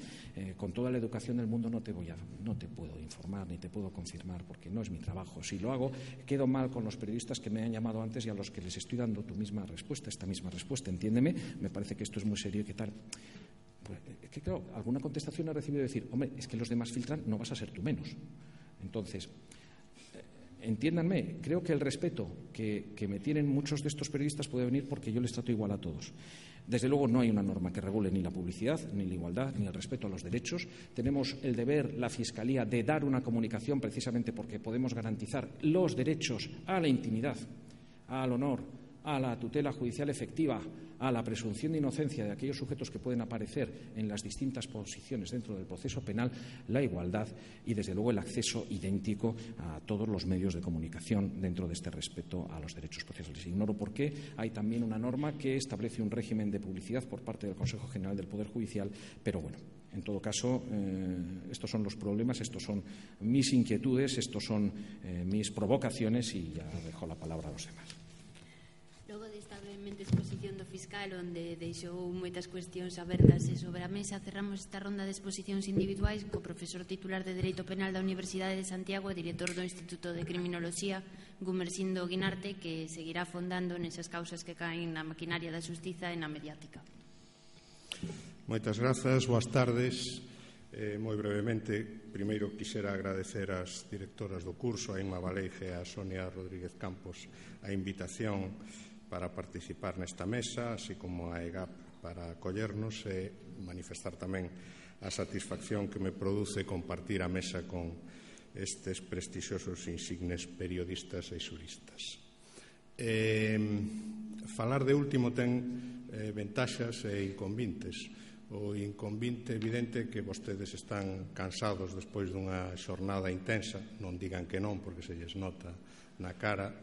con toda la educación del mundo no te puedo informar ni te puedo confirmar porque no es mi trabajo. Si lo hago, quedo mal con los periodistas que me han llamado antes y a los que les estoy dando esta misma respuesta, entiéndeme, me parece que esto es muy serio y que tal. Pues, es que claro, alguna contestación he recibido de decir, hombre, es que los demás filtran, no vas a ser tú menos. Entonces, entiéndanme, creo que el respeto que me tienen muchos de estos periodistas puede venir porque yo les trato igual a todos. Desde luego no hay una norma que regule ni la publicidad, ni la igualdad, ni el respeto a los derechos. Tenemos el deber, la Fiscalía, de dar una comunicación precisamente porque podemos garantizar los derechos a la intimidad, al honor, a la tutela judicial efectiva, a la presunción de inocencia de aquellos sujetos que pueden aparecer en las distintas posiciones dentro del proceso penal, la igualdad y, desde luego, el acceso idéntico a todos los medios de comunicación dentro de este respeto a los derechos procesales. Ignoro por qué hay también una norma que establece un régimen de publicidad por parte del Consejo General del Poder Judicial, pero bueno, en todo caso, estos son los problemas, estos son mis inquietudes, estos son mis provocaciones y ya dejo la palabra a los demás. Logo desta brevemente exposición do fiscal onde deixou moitas cuestións abertas e sobre a mesa, cerramos esta ronda de exposicións individuais co profesor titular de Dereito Penal da Universidade de Santiago e director do Instituto de Criminoloxía, Gumersindo Guinarte, que seguirá afondando nesas causas que caen na maquinaria da xustiza e na mediática. Moitas grazas, boas tardes. Moi brevemente, primeiro quixera agradecer ás directoras do curso, a Inma Valeige e a Sonia Rodríguez Campos, a invitación para participar nesta mesa, así como a EGAP para acollernos e manifestar tamén a satisfacción que me produce compartir a mesa con estes prestixiosos insignes periodistas e xuristas. Falar de último ten ventaxas e inconvintes. O inconvinte evidente que vostedes están cansados despois dunha xornada intensa, non digan que non porque se lles nota na cara.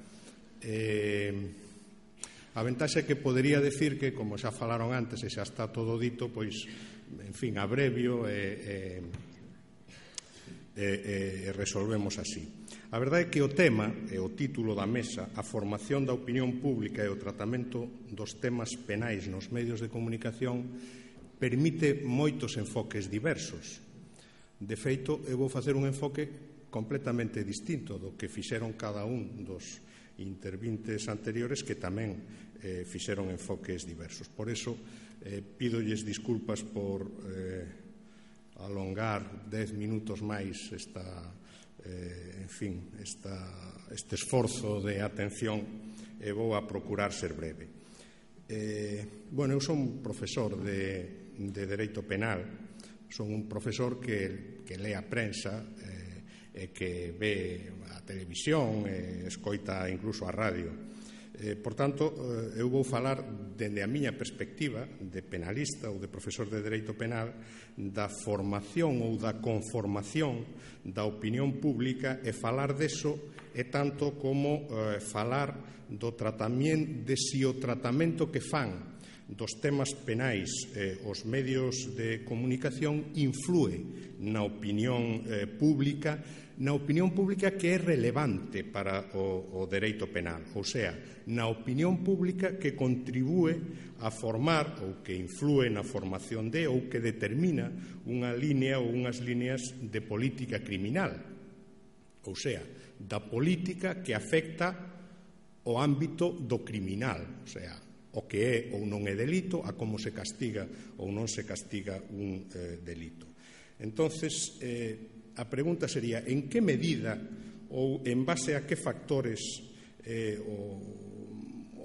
A ventaxa é que podería decir que, como xa falaron antes e xa está todo dito, pois, en fin, abrevio e resolvemos así. A verdade é que o tema e o título da mesa, a formación da opinión pública e o tratamento dos temas penais nos medios de comunicación, permite moitos enfoques diversos. De feito, eu vou facer un enfoque completamente distinto do que fixeron cada un dos intervintes anteriores, que tamén fixeron enfoques diversos. Por iso, pídolles disculpas por alongar 10 minutos máis este esforzo de atención, e vou a procurar ser breve. Eu son profesor de Dereito Penal, son un profesor que lee a prensa e que ve a televisión e escoita incluso a radio. Por tanto, eu vou falar dende a miña perspectiva de penalista ou de profesor de Dereito Penal da formación ou da conformación da opinión pública, e falar deso é tanto como falar do tratamento, de si o tratamento que fan dos temas penais os medios de comunicación influe na opinión pública, que é relevante para o dereito penal, ou sea, na opinión pública que contribúe a formar ou que influe na formación de ou que determina unha línea ou unhas líneas de política criminal, ou sea, da política que afecta o ámbito do criminal, ou sea, o que é ou non é delito, a como se castiga ou non se castiga un delito. Entonces, a pregunta sería, en que medida ou en base a que factores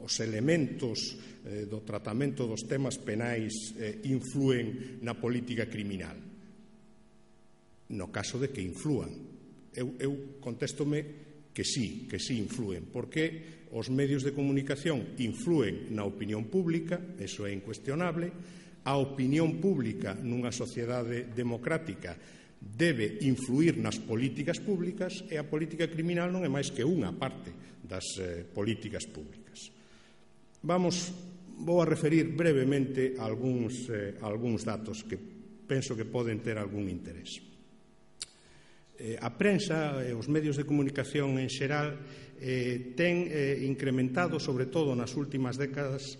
os elementos do tratamento dos temas penais influen na política criminal? No caso de que inflúan. Eu contéstome que sí influen, porque os medios de comunicación influen na opinión pública, eso é incuestionable. A opinión pública nunha sociedade democrática debe influir nas políticas públicas, e a política criminal non é máis que unha parte das políticas públicas. Vou a referir brevemente algúns datos que penso que poden ter algún interés. A prensa e os medios de comunicación en xeral ten incrementado, sobre todo nas últimas décadas,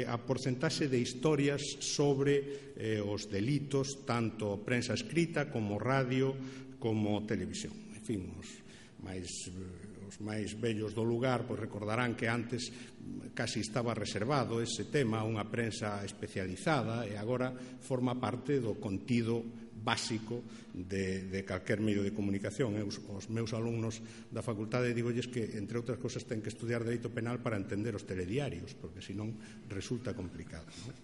a porcentaxe de historias sobre os delitos, tanto prensa escrita como radio como televisión. En fin, os máis vellos do lugar recordarán que antes casi estaba reservado ese tema a unha prensa especializada, e agora forma parte do contido básico de calquer medio de comunicación. Os meus alumnos da facultade digolles que, entre outras cosas, ten que estudiar Dereito Penal para entender os telediarios, porque senón resulta complicado, non?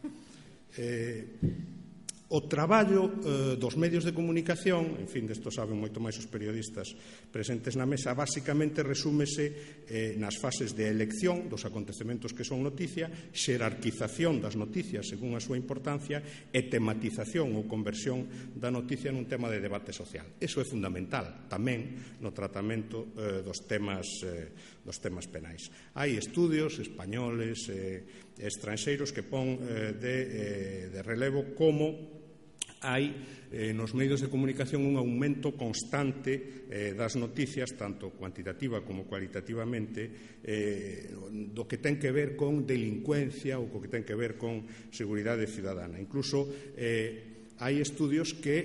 O traballo dos medios de comunicación, en fin, desto saben moito máis os periodistas presentes na mesa, basicamente resúmese nas fases de elección dos acontecementos que son noticia, xerarquización das noticias según a súa importancia e tematización ou conversión da noticia nun tema de debate social. Eso é fundamental tamén no tratamento dos temas penais. Hai estudios españoles e estranxeiros que pon de relevo como hai nos medios de comunicación un aumento constante das noticias, tanto cuantitativa como cualitativamente, do que ten que ver con delincuencia ou co que ten que ver con seguridade cidadana. Incluso hai estudios que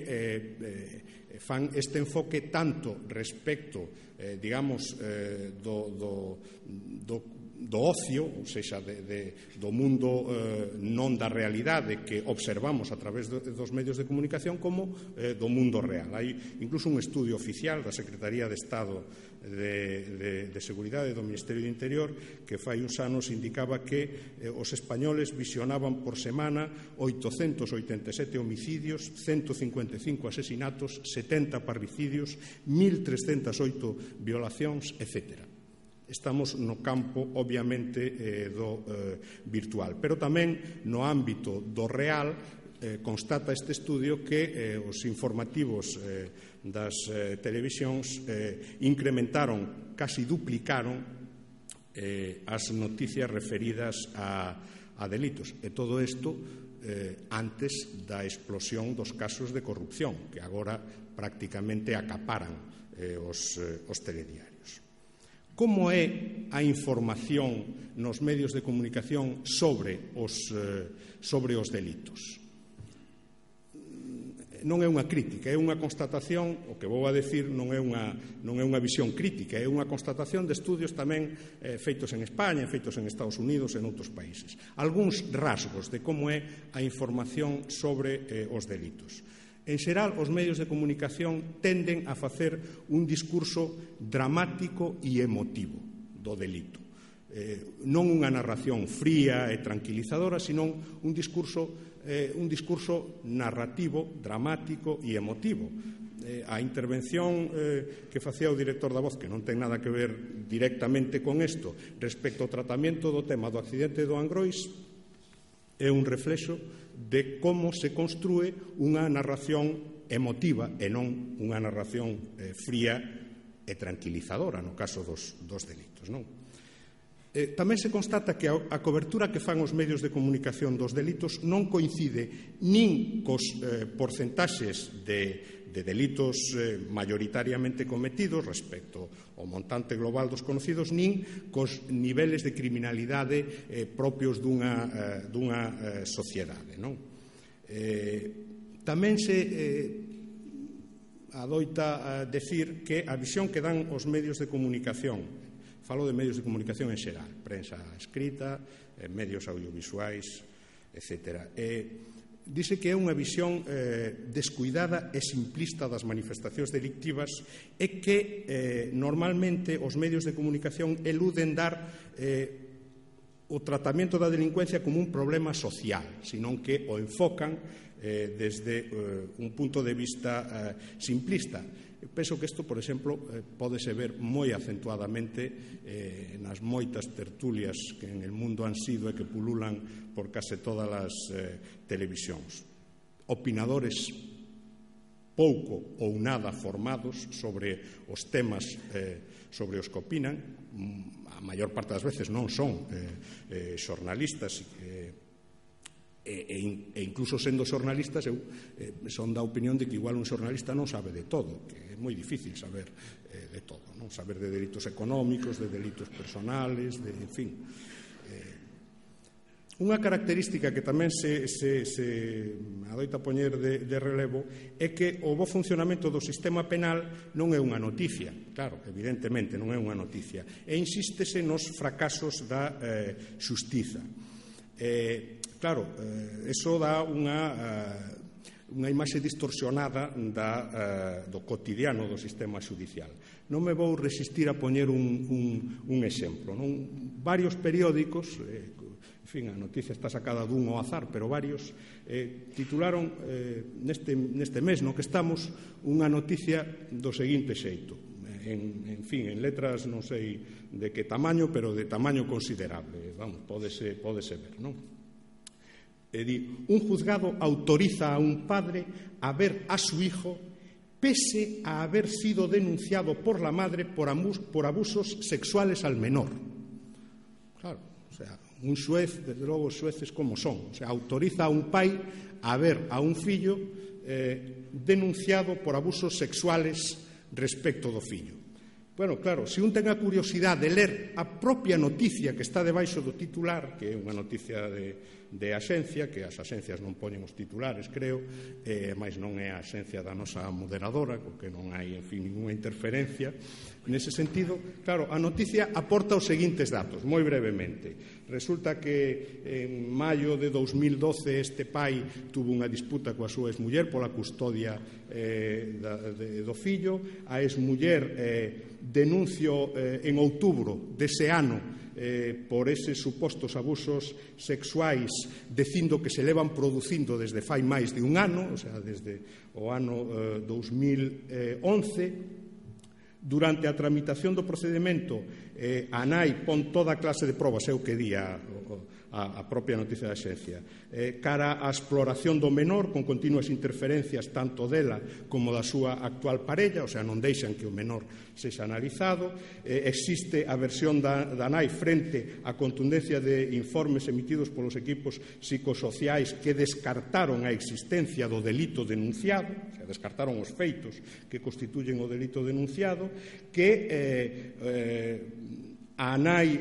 fan este enfoque tanto respecto, digamos, do ocio, ou seja, do mundo non da realidade que observamos a través dos medios de comunicación, como do mundo real. Hai incluso un estudio oficial da Secretaría de Estado de Seguridade do Ministerio do Interior que fai uns anos indicaba que os españoles visionaban por semana 887 homicidios, 155 asesinatos, 70 parricidios, 1.308 violacións, etc. Estamos no campo, obviamente, do virtual. Pero tamén no ámbito do real constata este estudio que os informativos das televisións incrementaron, casi duplicaron as noticias referidas a delitos. E todo isto antes da explosión dos casos de corrupción que agora prácticamente acaparan os telediarios. Como é a información nos medios de comunicación sobre os delitos? Non é unha crítica, é unha constatación, o que vou a decir non é unha visión crítica, é unha constatación de estudios tamén feitos en España, feitos en Estados Unidos e en outros países. Algúns rasgos de como é a información sobre os delitos. En xeral, os medios de comunicación tenden a facer un discurso dramático e emotivo do delito. Non unha narración fría e tranquilizadora, senón un discurso narrativo, dramático e emotivo. A intervención que facía o director da Voz, que non ten nada que ver directamente con isto, respecto ao tratamento do tema do accidente do Angrois, é un reflexo de como se construe unha narración emotiva e non unha narración fría e tranquilizadora no caso dos delitos, non? Tamén se constata que a cobertura que fan os medios de comunicación dos delitos non coincide nin cos porcentaxes de delitos mayoritariamente cometidos respecto ao montante global dos conocidos, nin cos niveles de criminalidade propios dunha sociedade, non? Tamén se adoita decir que a visión que dan os medios de comunicación, falo de medios de comunicación en xeral, prensa escrita, medios audiovisuais, etc. Dice que é unha visión descuidada e simplista das manifestacións delictivas e que normalmente os medios de comunicación eluden dar o tratamento da delincuencia como un problema social, senón que o enfocan desde un punto de vista simplista. Penso que isto, por exemplo, pódese ver moi acentuadamente nas moitas tertulias que en el mundo han sido e que pululan por case todas as televisións. Opinadores pouco ou nada formados sobre os temas sobre os que opinan. A maior parte das veces non son xornalistas e incluso sendo xornalistas son da opinión de que igual un xornalista non sabe de todo, que é moi difícil saber de todo, non? Saber de delitos económicos, de delitos personales, en fin. Unha característica que tamén se adoita poñer de relevo é que o bo funcionamento do sistema penal non é unha noticia, claro, evidentemente non é unha noticia, e insístese nos fracasos da xustiza. Claro, eso dá unha imaxe distorsionada do cotidiano do sistema xudicial. Non me vou resistir a poñer un exemplo. Varios periódicos, en fin, a noticia está sacada dun ao azar, pero varios titularon neste mes no que estamos unha noticia do seguinte xeito. En fin, en letras non sei de que tamaño, pero de tamaño considerable. Vamos, pódese ver, non? Un juzgado autoriza a un padre a ver a su hijo pese a haber sido denunciado por la madre por abusos sexuales al menor. Claro, o sea, un xuez, desde logo os xueces como son, o sea, autoriza a un pai a ver a un fillo denunciado por abusos sexuales respecto do fillo. Bueno, claro, se un ten a curiosidade de ler a propia noticia que está debaixo do titular, que é unha noticia de axencia, que as axencias non poñen os titulares, creo, máis non é a axencia da nosa moderadora, porque non hai, en fin, ninguna interferencia. Nese sentido, claro, a noticia aporta os seguintes datos, moi brevemente. Resulta que en maio de 2012 este pai tuvo unha disputa coa súa exmuller pola custodia do fillo. A exmuller denuncio en outubro dese ano por eses supostos abusos sexuais, dicindo que se levan producindo desde fai máis de un ano, o sea, desde o ano 2011. Durante a tramitación do procedimento, a nai pon toda a clase de probas, é o que di a a propia noticia da Xencia. Cara á exploración do menor, con continuas interferencias tanto dela como da súa actual parella, o sea, non deixan que o menor sexa analizado. Existe a versión da nai frente á contundencia de informes emitidos polos equipos psicosociais que descartaron a existencia do delito denunciado, o sea, descartaron os feitos que constituyen o delito denunciado, que a nai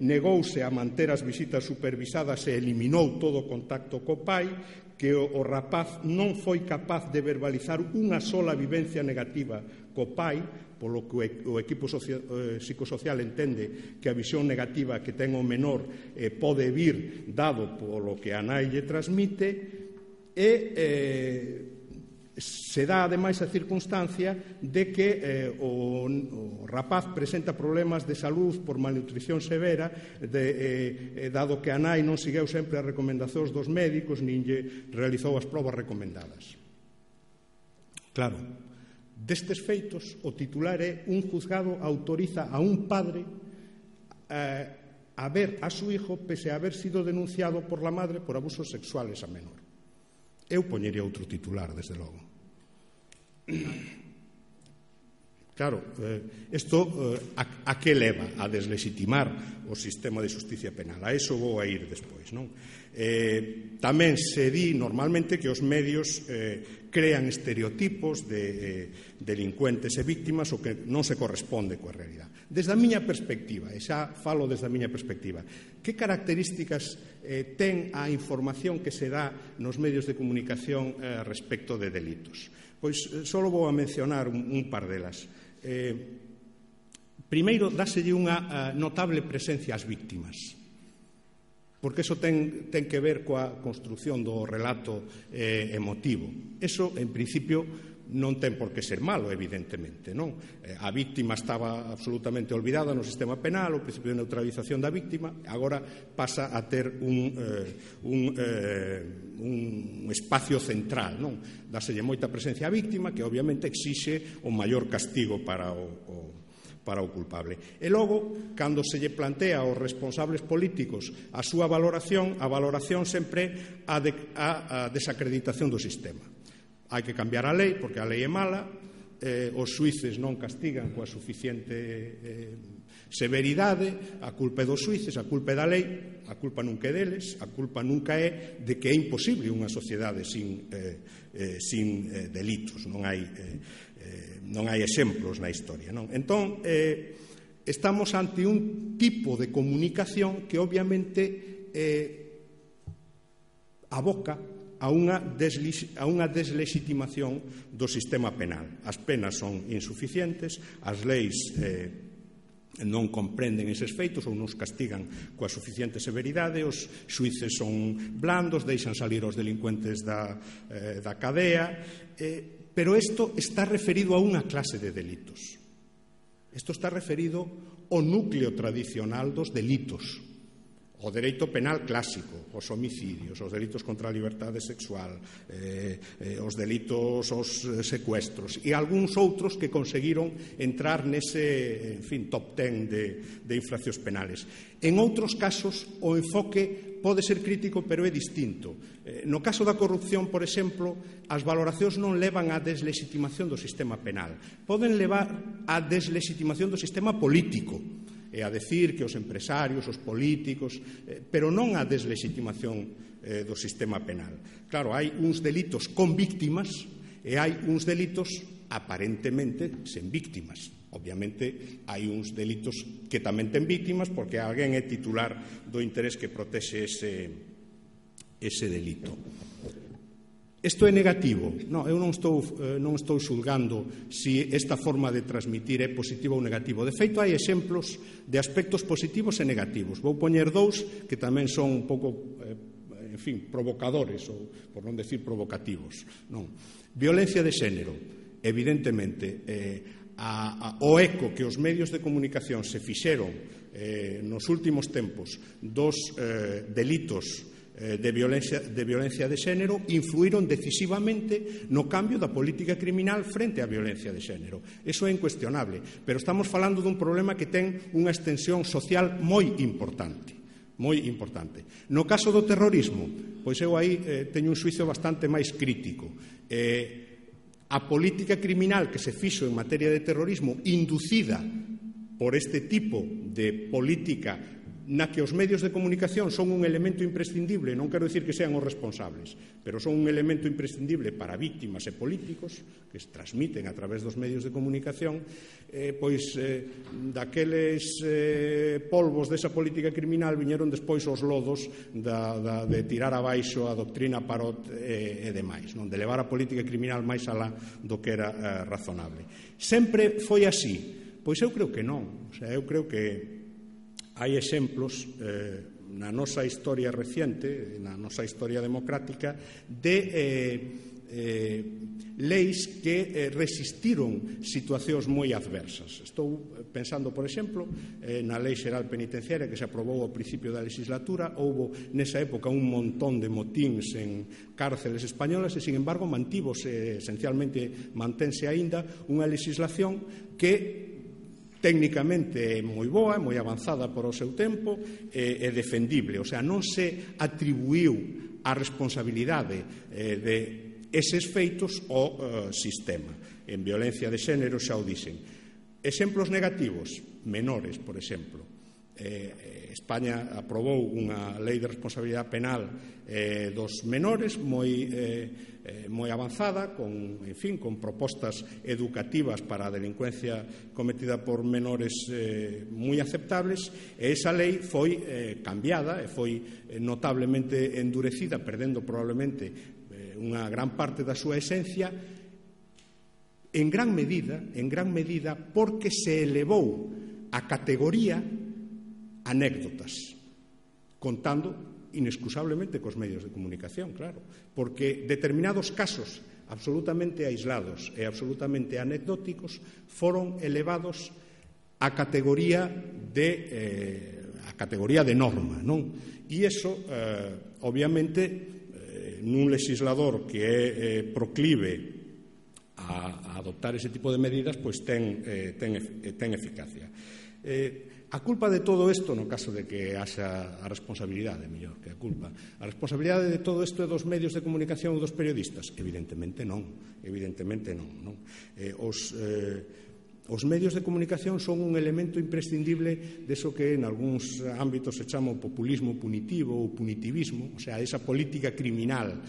negouse a manter as visitas supervisadas e eliminou todo o contacto co pai, que o rapaz non foi capaz de verbalizar unha sola vivencia negativa co pai, polo que o equipo psicosocial entende que a visión negativa que ten o menor pode vir dado polo que a nai lle transmite, e se dá ademais a circunstancia de que o rapaz presenta problemas de salud por malnutrición severa, dado que a nai non segueu sempre as recomendacións dos médicos nin lle realizou as probas recomendadas. Claro, destes feitos, o titular é: un juzgado autoriza a un padre a ver a su hijo pese a haber sido denunciado por la madre por abusos sexuales a menor. Eu poñería outro titular, desde logo. Claro, isto a que leva? A deslegitimar o sistema de xusticia penal. A eso vou a ir despois, non? Tamén se di normalmente que os medios crean estereotipos de delincuentes e víctimas o que non se corresponde coa realidade. Desde a miña perspectiva, e xa falo desde a miña perspectiva, que características ten a información que se dá nos medios de comunicación respecto de delitos? Pois só vou a mencionar un par delas. Primeiro, dáselle unha notable presencia ás víctimas, porque iso ten que ver coa construción do relato emotivo. Iso, en principio, non ten por que ser malo, evidentemente, non? A víctima estaba absolutamente olvidada no sistema penal, o principio de neutralización da víctima, agora pasa a ter un espacio central, non? Dáselle moita presencia á víctima, que obviamente exixe o maior castigo para o culpable. E logo, cando se lle plantea aos responsables políticos a súa valoración, a valoración sempre a desacreditación do sistema. Hai que cambiar a lei, porque a lei é mala, os xuíces non castigan coa suficiente severidade, a culpa é dos xuíces, a culpa é da lei, a culpa nunca é deles, a culpa nunca é de que é imposible unha sociedade sin delitos, non hai exemplos na historia, non? Entón, estamos ante un tipo de comunicación que obviamente aboca a unha deslegitimación do sistema penal. As penas son insuficientes, as leis non comprenden eses feitos ou non os castigan coa suficiente severidade, os xuíces son blandos, deixan salir os delincuentes da cadea, pero isto está referido a unha clase de delitos. Isto está referido ao núcleo tradicional dos delitos. O dereito penal clásico, os homicidios, os delitos contra a liberdade sexual, os delitos, os secuestros e algúns outros que conseguiron entrar nese, top 10 de infraccións penales. En outros casos, o enfoque pode ser crítico, pero é distinto. No caso da corrupción, por exemplo, as valoracións non levan á deslegitimación do sistema penal. Poden levar á deslegitimación do sistema político, e a decir que os empresarios, os políticos, pero non a deslegitimación do sistema penal. Claro, hai uns delitos con víctimas e hai uns delitos aparentemente sen víctimas. Obviamente, hai uns delitos que tamén ten víctimas porque alguén é titular do interés que protexe ese delito. Isto é negativo? Non, eu non estou xulgando se esta forma de transmitir é positiva ou negativo. De feito, hai exemplos de aspectos positivos e negativos. Vou poñer dous que tamén son un pouco, provocadores, ou por non decir provocativos. Non. Violencia de xénero. Evidentemente, o eco que os medios de comunicación se fixeron nos últimos tempos dos delitos de violencia de xénero influíron decisivamente no cambio da política criminal frente á violencia de xénero. Eso é incuestionable, pero estamos falando dun problema que ten unha extensión social moi importante. moi importante. No caso do terrorismo, pois eu aí teño un xuizo bastante máis crítico. A política criminal que se fixo en materia de terrorismo inducida por este tipo de política na que os medios de comunicación son un elemento imprescindible, non quero dicir que sean os responsables, pero son un elemento imprescindible para víctimas e políticos que se transmiten a través dos medios de comunicación, pois daqueles polvos desa política criminal viñeron despois os lodos de tirar abaixo a doctrina Parot e demais, non? De levar a política criminal máis alá do que era razonable. Sempre foi así? Pois eu creo que non. O sea, eu creo que hai exemplos na nosa historia reciente, na nosa historia democrática, de leis que resistiron situacións moi adversas. Estou pensando, por exemplo, na Lei Xeral Penitenciaria que se aprobou ao principio da legislatura. Houbo nesa época un montón de motíns en cárceles españolas e, sin embargo, mantívose, esencialmente mantense aínda, unha legislación que técnicamente é moi boa, moi avanzada por o seu tempo e defendible. O sea, non se atribuiu a responsabilidade de eses feitos ao sistema. En violencia de xénero xa o dixen. Exemplos negativos, menores, por exemplo. España aprobou unha lei de responsabilidade penal dos menores moi avanzada, con propostas educativas para a delincuencia cometida por menores moi aceptables, e esa lei foi cambiada e foi notablemente endurecida, perdendo probablemente unha gran parte da súa esencia, en gran medida porque se elevou a categoría anécdotas, contando inexcusablemente cos medios de comunicación, claro, porque determinados casos absolutamente aislados e absolutamente anecdóticos foron elevados a categoría de norma, non? E iso, obviamente, nun legislador que é proclive a adoptar ese tipo de medidas, pois ten eficacia. A culpa de todo isto, no caso de que haxa a responsabilidade, mellor que a culpa, a responsabilidade de todo isto é dos medios de comunicación ou dos periodistas? Evidentemente non. Os medios de comunicación son un elemento imprescindible deso que en algúns ámbitos se chama o populismo punitivo ou punitivismo, o sea, esa política criminal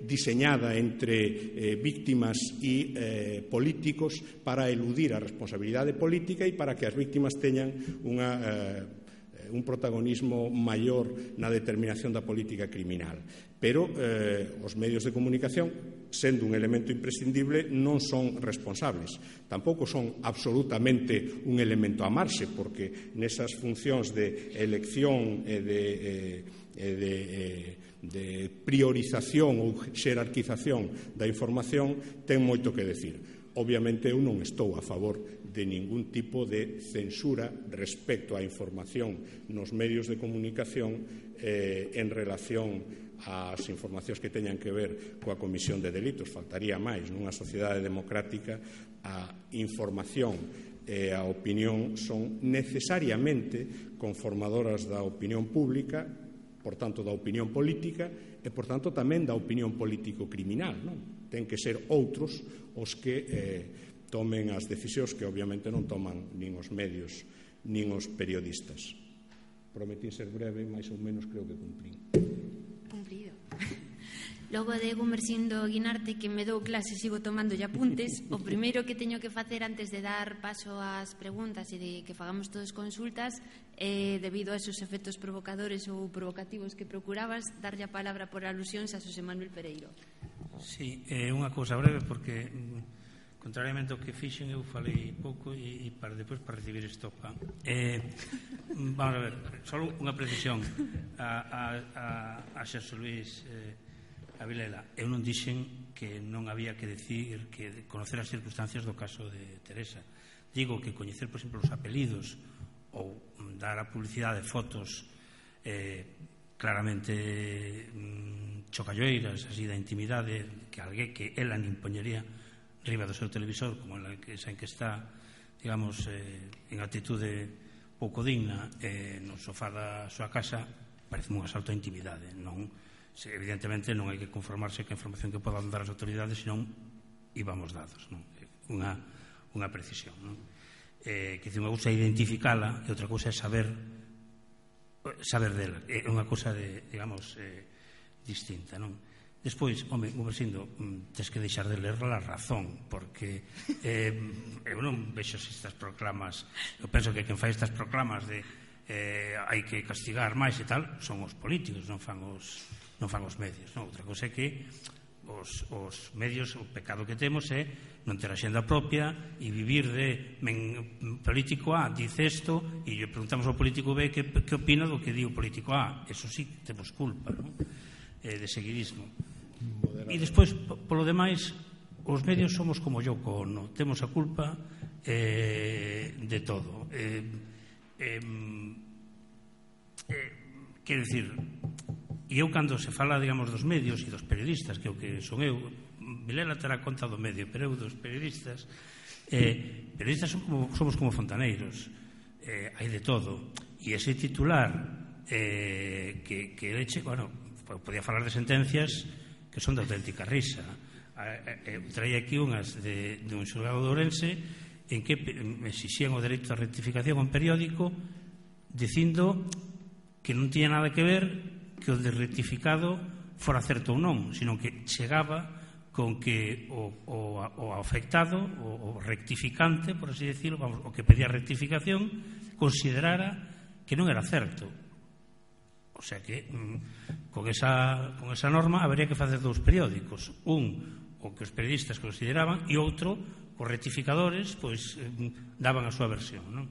diseñada entre víctimas e políticos para eludir a responsabilidade política e para que as víctimas teñan un protagonismo maior na determinación da política criminal. Pero os medios de comunicación, sendo un elemento imprescindible, non son responsables. Tampouco son absolutamente un elemento a amarse, porque nesas funcións de elección e de priorización ou xerarquización da información ten moito que decir. Obviamente eu non estou a favor de ningún tipo de censura respecto á información nos medios de comunicación en relación ás informacións que teñan que ver coa comisión de delitos. Faltaría máis. Nunha sociedade democrática a información e a opinión son necesariamente conformadoras da opinión pública, por tanto da opinión política e por tanto tamén da opinión político-criminal, non? Ten que ser outros os que tomen as decisións que obviamente non toman nin os medios nin os periodistas. Prometí ser breve, máis ou menos creo que cumplín. Cumprido. Logo de Gumersindo Guinarte, que me dou clase, sigo tomando apuntes. O primeiro que teño que facer antes de dar paso ás preguntas e de que fagamos todos consultas, debido a esos efectos provocadores ou provocativos que procurabas, darlle a palabra por alusións a Xosé Manuel Pereiro. Sí, unha cousa breve, porque contrariamente ao que fixen, eu falei pouco e depois para recibir estopa. Vamos a ver, só unha precisión a Xosé Luís a Vilela. Eu non dixen que non había que decir, que conocer as circunstancias do caso de Teresa. Digo que coñecer, por exemplo, os apelidos ou dar a publicidade de fotos claramente chocalloeiras, así da intimidade, que alguén que ela nin poñería riba do seu televisor, como esa en que está, digamos, en actitude pouco digna no sofá da súa casa, parece un asalto á intimidade. Evidentemente non hai que conformarse que a información que podan dar as autoridades, senón íbamos dados. Unha precisión. Que unha cousa é identificala e outra cousa é saber dela. É unha cousa, digamos, distinta, non? Despois, home, Gumersindo, tens que deixar de ler la razón, porque eu non vexo estas proclamas, eu penso que quen fai estas proclamas de hai que castigar máis e tal, son os políticos, non fan os medios, non? Outra cosa é que os medios, o pecado que temos é non ter a xenda propia e vivir de político A dice isto e lle preguntamos ao político B que opina do que di o político A. Eso sí, temos culpa, non? De seguidismo. E despois, polo demais, os medios somos como Yoko Ono, temos a culpa de todo. Quero dicir, e eu cando se fala, digamos, dos medios e dos periodistas, que é o que son eu, Vilela terá conta do medio, pero eu dos periodistas somos como fontaneiros, hai de todo, e ese titular que leche, bueno, podía falar de sentencias que son de auténtica risa. Traía aquí unhas de un xulgado de Ourense en que exixían o dereito a rectificación a un periódico dicindo que non tiña nada que ver que o de rectificado fora certo ou non, sino que chegaba con que o afectado, o rectificante, por así decirlo, o que pedía rectificación, considerara que non era certo. O sea que con esa norma habería que facer dous periódicos, o que os periodistas consideraban e outro, os rectificadores pois daban a súa versión, non?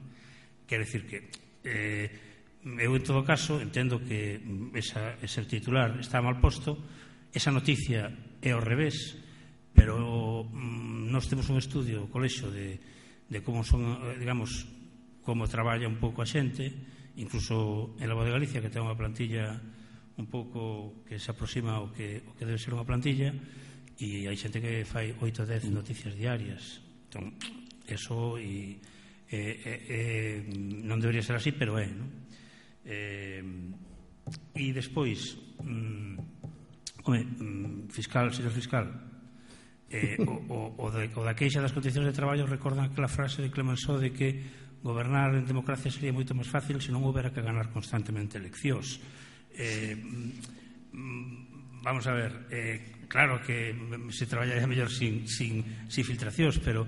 Quero dicir que eu en todo caso entendo que ese titular está mal posto, esa noticia é ao revés, pero nós temos un estudio, o colexo de como son, digamos, como traballa un pouco a xente, incluso en la Voz de Galicia, que ten unha plantilla un pouco que se aproxima ao que debe ser unha plantilla, e hai xente que fai 8 ou 10 noticias diarias. Entón, eso non debería ser así, pero é, non? E despois, señor fiscal, o da queixa das condicións de traballo recordan aquela frase de Clemenceau de que gobernar en democracia sería moito máis fácil se non houbera que ganar constantemente eleccións. Vamos a ver, claro que se traballaría mellor sin filtracións, pero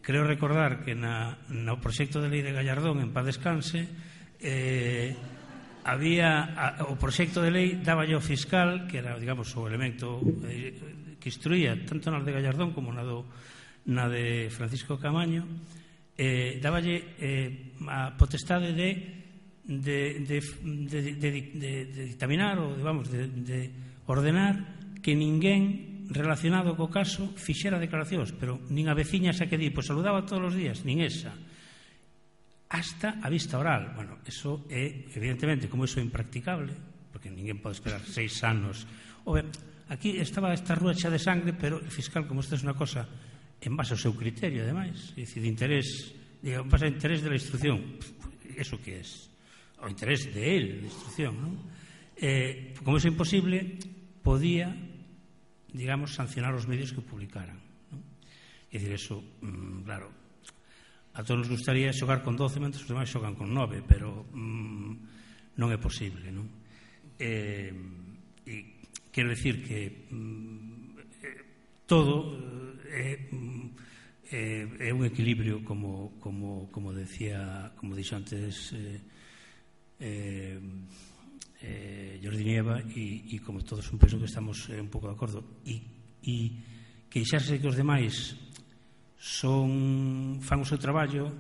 creo recordar que no proxecto de lei de Gallardón, en paz descanse, había o proxecto de lei daba ao fiscal, que era, digamos, o elemento que instruía tanto na de Gallardón como na de Francisco Camaño, dáballe a potestade de dictaminar ou de ordenar que ninguén relacionado co caso fixera declaracións, pero nin a veciña xa que di, pois saludaba todos os días, nin esa, hasta a vista oral. Bueno, eso é, evidentemente, como eso é impracticable, porque ninguén pode esperar 6 anos. Aquí estaba esta rúa xa de sangre, pero o fiscal, como isto é unha cosa en base ao seu criterio, ademais, é dicir, de interés, en base ao interés de la instrucción, eso que é? O interés de él, de instrucción, non? Como eso é imposible, podía, digamos, sancionar os medios que publicaran, non? É dicir, eso, claro, a todos nos gustaría xogar con 12, mentres os demais xogan con 9, pero non é posible, non? E quero dicir que todo é un equilibrio como dixo antes Jordi Nieva, e como todos un penso que estamos un pouco de acordo, e queixarse que os demais fan o seu traballo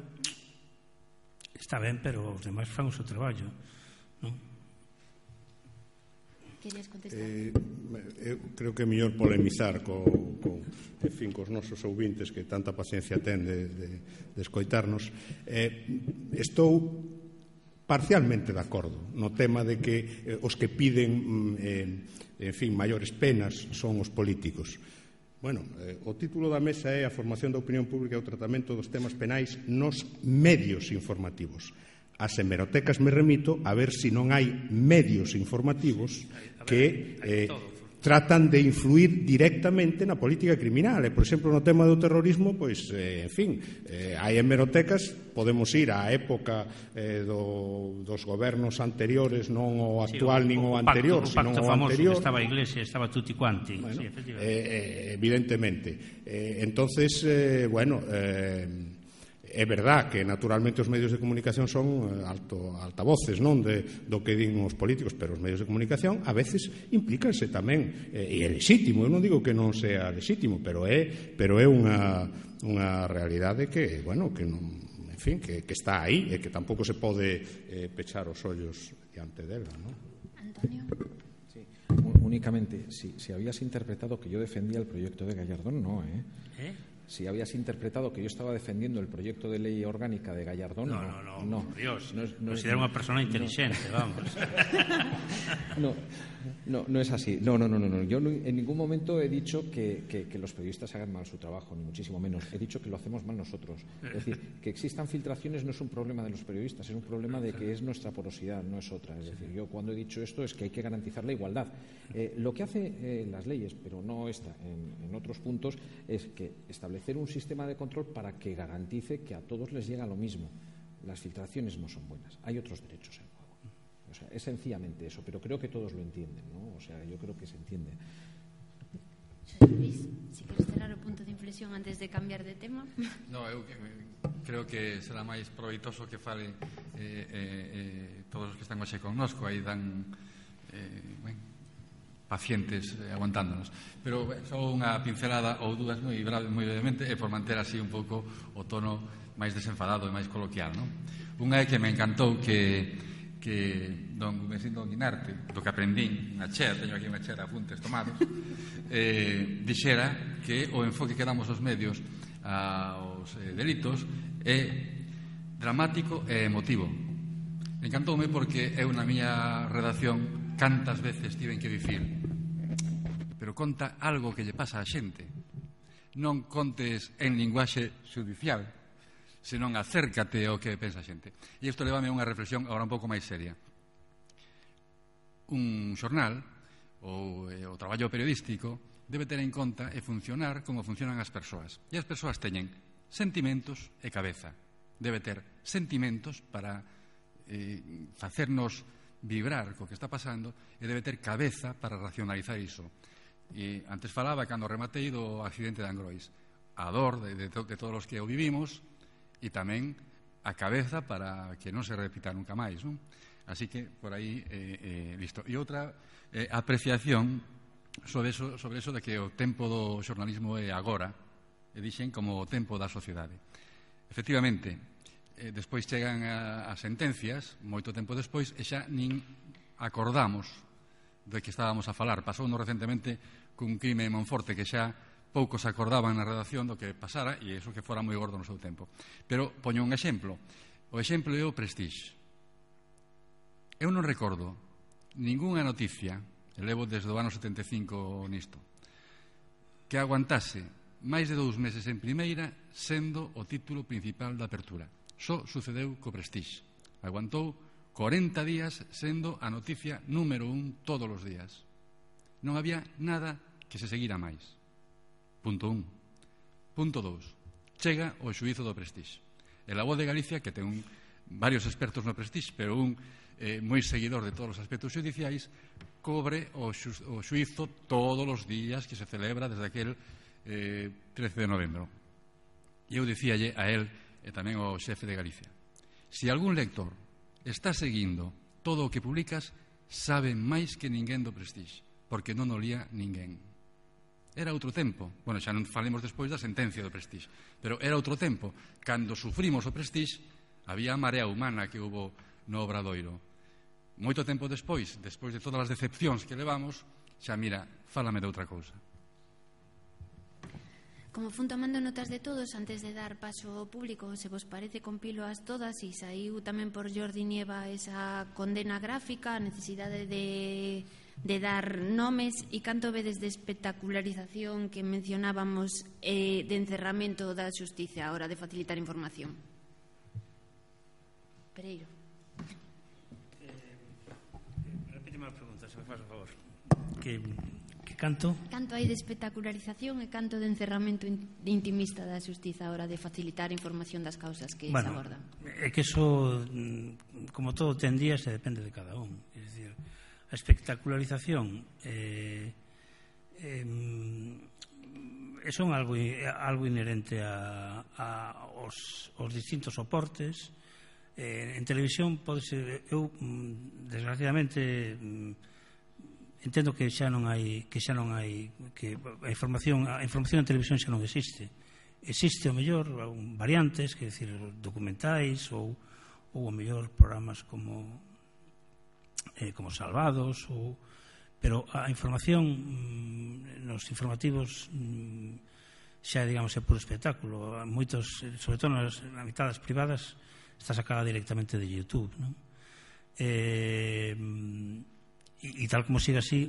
está ben, pero os demais fan o seu traballo, non? Querías contestar? Eu creo que é mellor polemizar cos nosos ouvintes que tanta paciencia ten de escoitarnos. Estou parcialmente de acordo no tema de que os que piden, en fin, maiores penas son os políticos. Bueno, o título da mesa é a formación da opinión pública e o tratamento dos temas penais nos medios informativos. As hemerotecas me remito a ver se non hai medios informativos que tratan de influir directamente na política criminal. E, por exemplo, no tema do terrorismo, pois, en fin, hai hemerotecas, podemos ir á época dos gobernos anteriores, non o actual nin o anterior, sino o anterior. Estaba a Iglesia, estaba tutti quanti. Bueno, sí, efectivamente. Evidentemente. Entonces, bueno, é verdad que naturalmente os medios de comunicación son altavoces, non, do que din os políticos, pero os medios de comunicación a veces implícanse tamén, e é lexítimo, eu non digo que non sea lexítimo, pero é unha realidade que, bueno, que non, en fin, que está aí e que tampouco se pode pechar os ollos diante dela, non? Antonio. Sí, únicamente, si habías interpretado que yo defendía el proyecto de Gallardón, no, Si habías interpretado que yo estaba defendiendo el proyecto de ley orgánica de Gallardón, no, por Dios, considero una persona inteligente, vamos. No es así. No. Yo en ningún momento he dicho que los periodistas hagan mal su trabajo, ni muchísimo menos. He dicho que lo hacemos mal nosotros. Es decir, que existan filtraciones no es un problema de los periodistas, es un problema de que es nuestra porosidad, no es otra. Es decir, yo cuando he dicho esto es que hay que garantizar la igualdad. Lo que hace las leyes, pero no esta, en otros puntos, es que establecer un sistema de control para que garantice que a todos les llega lo mismo. Las filtraciones no son buenas. Hay otros derechos en juego. O sea, es sencillamente eso, pero creo que todos lo entienden, ¿no? O sea, yo creo que se entiende. Luis, si queres cerrar o punto de inflexión antes de cambiar de tema. No, eu creo que será máis proveitoso que fale todos os que están hoxe connosco, aí dan pacientes aguantándonos. Pero só unha pincelada ou dúas moi brevemente e por manter así un pouco o tono máis desenfadado e máis coloquial, non? Unha é que me encantou que don Gumesín don Guinarte, do que aprendín na chea, teño aquí unha chea de apuntes tomados, dixera que o enfoque que damos os medios aos delitos é dramático e emotivo. Encantoume porque eu na miña redacción cantas veces tiven que dicir, pero conta algo que lle pasa á xente, non contes en linguaxe judicial, senón acércate ao que pensa a xente. E isto levame a unha reflexión agora un pouco máis seria. Un xornal ou o traballo periodístico debe ter en conta e funcionar como funcionan as persoas. E as persoas teñen sentimentos e cabeza. Debe ter sentimentos para facernos vibrar co que está pasando e debe ter cabeza para racionalizar iso. E antes falaba, cando rematei, do accidente de Angrois. A dor de todos os que o vivimos e tamén a cabeza para que non se repita nunca máis, non? Así que, por aí, listo. E outra apreciación sobre eso de que o tempo do xornalismo é agora, e dixen como o tempo da sociedade. Efectivamente, despois chegan as sentencias, moito tempo despois, e xa nin acordamos de que estábamos a falar. Pasounos recentemente cun crime en Monforte que xa poucos acordaban na redacción do que pasara e iso que fora moi gordo no seu tempo. Pero poño un exemplo. O exemplo é o Prestige. Eu non recordo ningunha noticia, e levo desde o ano 75 nisto, que aguantase máis de 2 meses en primeira sendo o título principal da apertura. Só sucedeu co Prestige. Aguantou 40 días sendo a noticia número 1 todos os días. Non había nada que se seguira máis. Punto 1. Punto 2. Chega o xuízo do Prestige. E La Voz de Galicia, que ten varios expertos no Prestige, pero un moi seguidor de todos os aspectos xudiciais, cobre o xuízo todos os días que se celebra desde aquel 13 de novembro. E eu dicíalle a él e tamén ao xefe de Galicia: se algún lector está seguindo todo o que publicas, sabe máis que ninguén do Prestige, porque non o lía ninguén. Era outro tempo. Bueno, xa non falemos despois da sentencia do Prestige, pero era outro tempo. Cando sufrimos o Prestige, había a marea humana que hubo no Obradoiro. Moito tempo despois de todas as decepcións que levamos, xa mira, fálame de outra cousa. Como fun tomando notas de todos, antes de dar paso ao público, se vos parece, compíloas todas e saiu tamén por Jordi Nieva esa condena gráfica, a necesidade de de dar nomes e canto vedes de espectacularización que mencionábamos de encerramento da xustiza a hora de facilitar información? Pereiro. Repíteme a pregunta, se me faz o favor. Que canto? Canto hai de espectacularización e canto de encerramento intimista da xustiza a hora de facilitar información das causas que se abordan? É que eso, como todo, ten días e depende de cada un. É dicir, a espectacularización son algo inherente aos distintos soportes. En televisión pode ser, eu desgraciadamente entendo que xa non hai que a información en televisión xa non existe o mellor variantes, que decir documentais ou o mellor programas como Salvados, pero a información nos informativos xa, digamos, é puro espectáculo. Moitos, sobre todo nas mitades privadas, está sacada directamente de YouTube, non? E tal como siga así,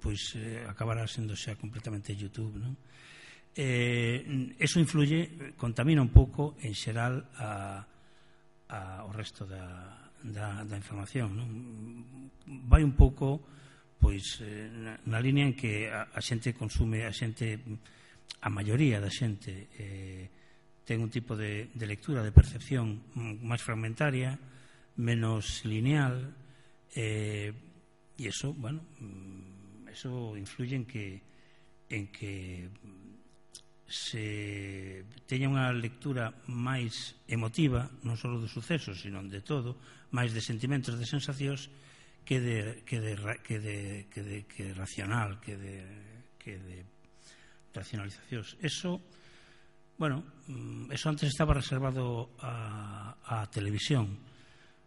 pois acabará sendo xa completamente YouTube, non? Eso influye, contamina un pouco en xeral ao resto da información, non? Vai un pouco pois na línea en que a xente consume, a maioría da xente ten un tipo de lectura, de percepción máis fragmentaria, menos lineal, e eso, bueno, eso influye en que se teña unha lectura máis emotiva, non só dos sucesos, sino de todo, máis de sentimentos, de sensacións, que racional, que de racionalizacións. Eso, bueno, eso antes estaba reservado á televisión.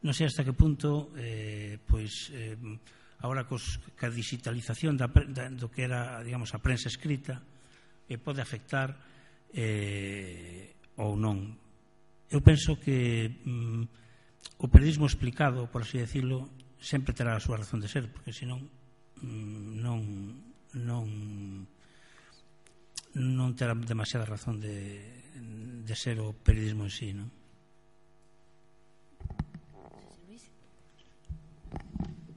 Non sei hasta que punto, pois, agora ca digitalización do que era, digamos, a prensa escrita, pode afectar ou non. Eu penso que o periodismo explicado, por así decirlo, sempre terá a súa razón de ser, porque senón non terá demasiada razón de ser o periodismo en sí, non?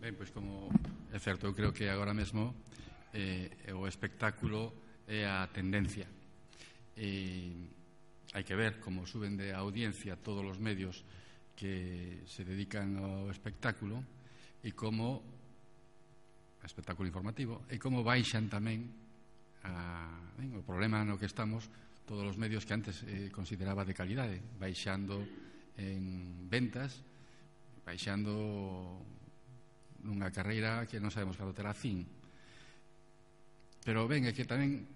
Ben, pois como é certo, eu creo que agora mesmo o espectáculo é a tendencia. Hai que ver como suben de audiencia todos os medios que se dedican ao espectáculo e como espectáculo informativo, e como baixan tamén o problema no que estamos todos os medios que antes consideraba de calidade, baixando en ventas, baixando nunha carreira que non sabemos cando terá fin. Pero ben, é que tamén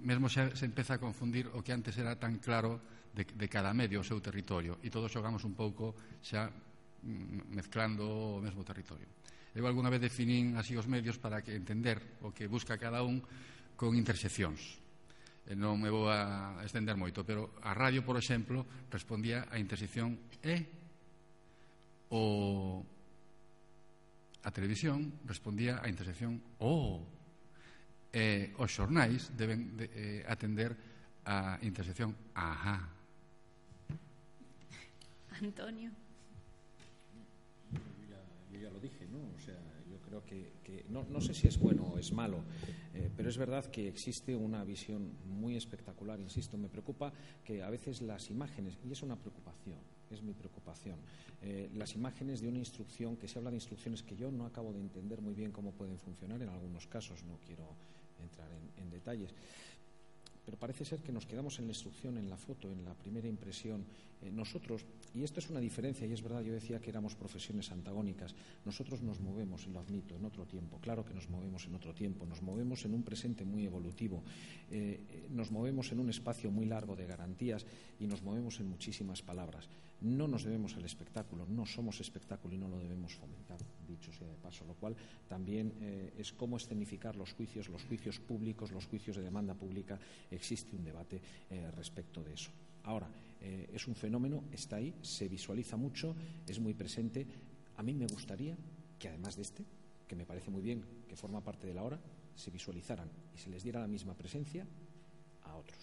mesmo se empeza a confundir o que antes era tan claro de cada medio o seu territorio, e todos xogamos un pouco xa mezclando o mesmo territorio. Eu alguna vez definín así os medios para que entender o que busca cada un con interseccións. Non me vou a estender moito, pero a radio, por exemplo, respondía a intersección a televisión respondía a intersección os xornais deben atender a intersección Antonio. Yo ya lo dije, ¿no? O sea, yo creo que no sé si es bueno o es malo, pero es verdad que existe una visión muy espectacular, insisto, me preocupa que a veces las imágenes, y es una preocupación, es mi preocupación, las imágenes de una instrucción, que se habla de instrucciones que yo no acabo de entender muy bien cómo pueden funcionar en algunos casos, no quiero entrar en detalles, pero parece ser que nos quedamos en la instrucción, en la foto, en la primera impresión. Nosotros, y esto es una diferencia, y es verdad, yo decía que éramos profesiones antagónicas, nosotros nos movemos, y lo admito, en otro tiempo, claro que nos movemos en otro tiempo, nos movemos en un presente muy evolutivo, nos movemos en un espacio muy largo de garantías y nos movemos en muchísimas palabras. No nos debemos al espectáculo, no somos espectáculo y no lo debemos fomentar, dicho sea de paso, lo cual también es cómo escenificar los juicios públicos, los juicios de demanda pública. Existe un debate respecto de eso. Ahora, es un fenómeno, está ahí, se visualiza mucho, es muy presente. A mí me gustaría que además de que me parece muy bien, que forma parte de la hora, se visualizaran y se les diera la misma presencia a otros.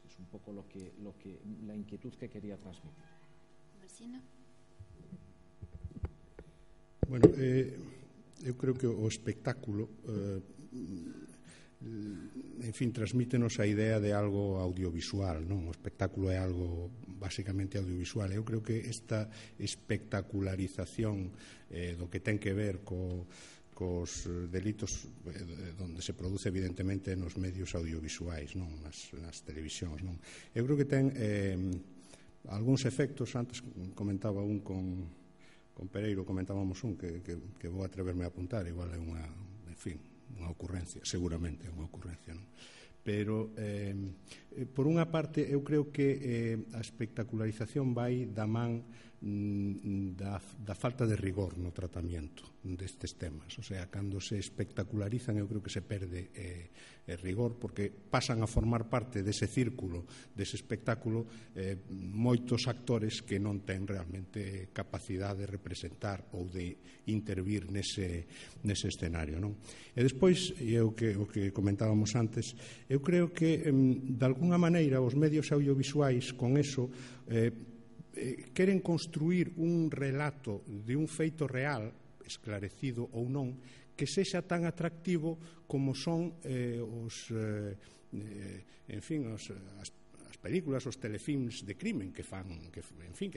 Es un poco la inquietud que quería transmitir. Marcino. Bueno, eu creo que o espectáculo en fin, transmítenos a idea de algo audiovisual, non? O espectáculo é algo basicamente audiovisual. Eu creo que esta espectacularización do que ten que ver cos delitos onde se produce evidentemente nos medios audiovisuais, non? Nas televisións, non? Eu creo que ten algúns efectos. Antes comentaba un con Pereiro, comentábamos un que vou atreverme a apuntar, igual é unha, en fin, unha ocurrencia, seguramente é unha ocurrencia, non? Pero por unha parte eu creo que a espectacularización vai da man da falta de rigor no tratamento destes temas. O sea, cando se espectacularizan eu creo que se perde rigor, porque pasan a formar parte dese círculo, dese espectáculo, moitos actores que non ten realmente capacidade de representar ou de intervir nese escenario, non? E despois, o que comentábamos antes, eu creo que de alguna maneira os medios audiovisuais con eso queren construir un relato de un feito real, esclarecido ou non, que sexa tan atractivo como son as películas, os telefilms de crimen que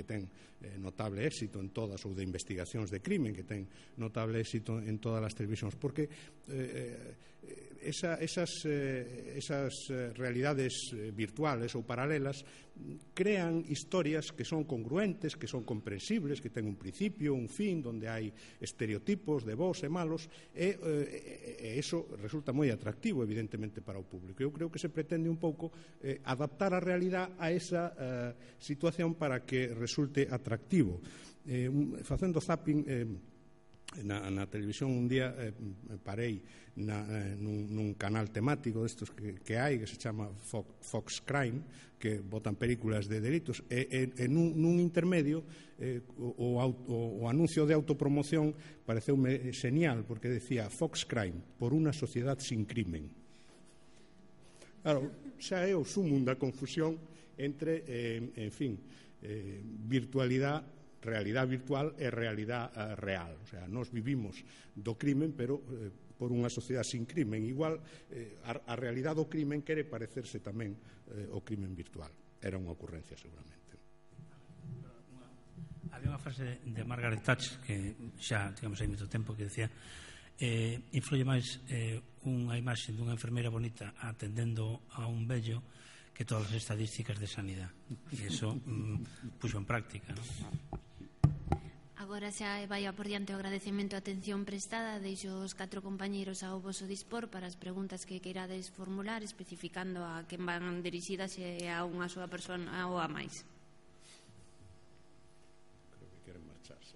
ten notable éxito en todas, ou de investigacións de crimen que ten notable éxito en todas as televisións, porque esas realidades virtuales ou paralelas crean historias que son congruentes, que son comprensibles, que ten un principio, un fin, donde hai estereotipos de bons e malos, e eso resulta moi atractivo, evidentemente, para o público. Eu creo que se pretende un pouco adaptar a realidade a esa situación para que resulte atractivo. Facendo zapping na televisión un día parei nun canal temático destos que hai, que se chama Fox Crime, que botan películas de delitos, e nun intermedio o anuncio de autopromoción pareceume genial, porque decía Fox Crime, por unha sociedade sin crimen. Claro, xa é o sumum da confusión entre, en fin, virtualidade, realidade virtual e realidade real. O sea, nós vivimos do crimen, pero por unha sociedade sin crimen. Igual, a realidade do crimen quere parecerse tamén ao crimen virtual. Era unha ocurrencia, seguramente. Había unha frase de Margaret Thatcher, que xa tivemos aí moito tempo, que decía influye máis unha imaxe dunha enfermeira bonita atendendo a un vello que todas as estadísticas de sanidade. E iso puxo en práctica, non? Agora xa vai a por diante o agradecemento a atención prestada. Deixo os 4 compañeiros ao voso dispor para as preguntas que queirades formular, especificando a quen van dirixidas, se a unha súa persona ou a máis. Creo que queren marcharse.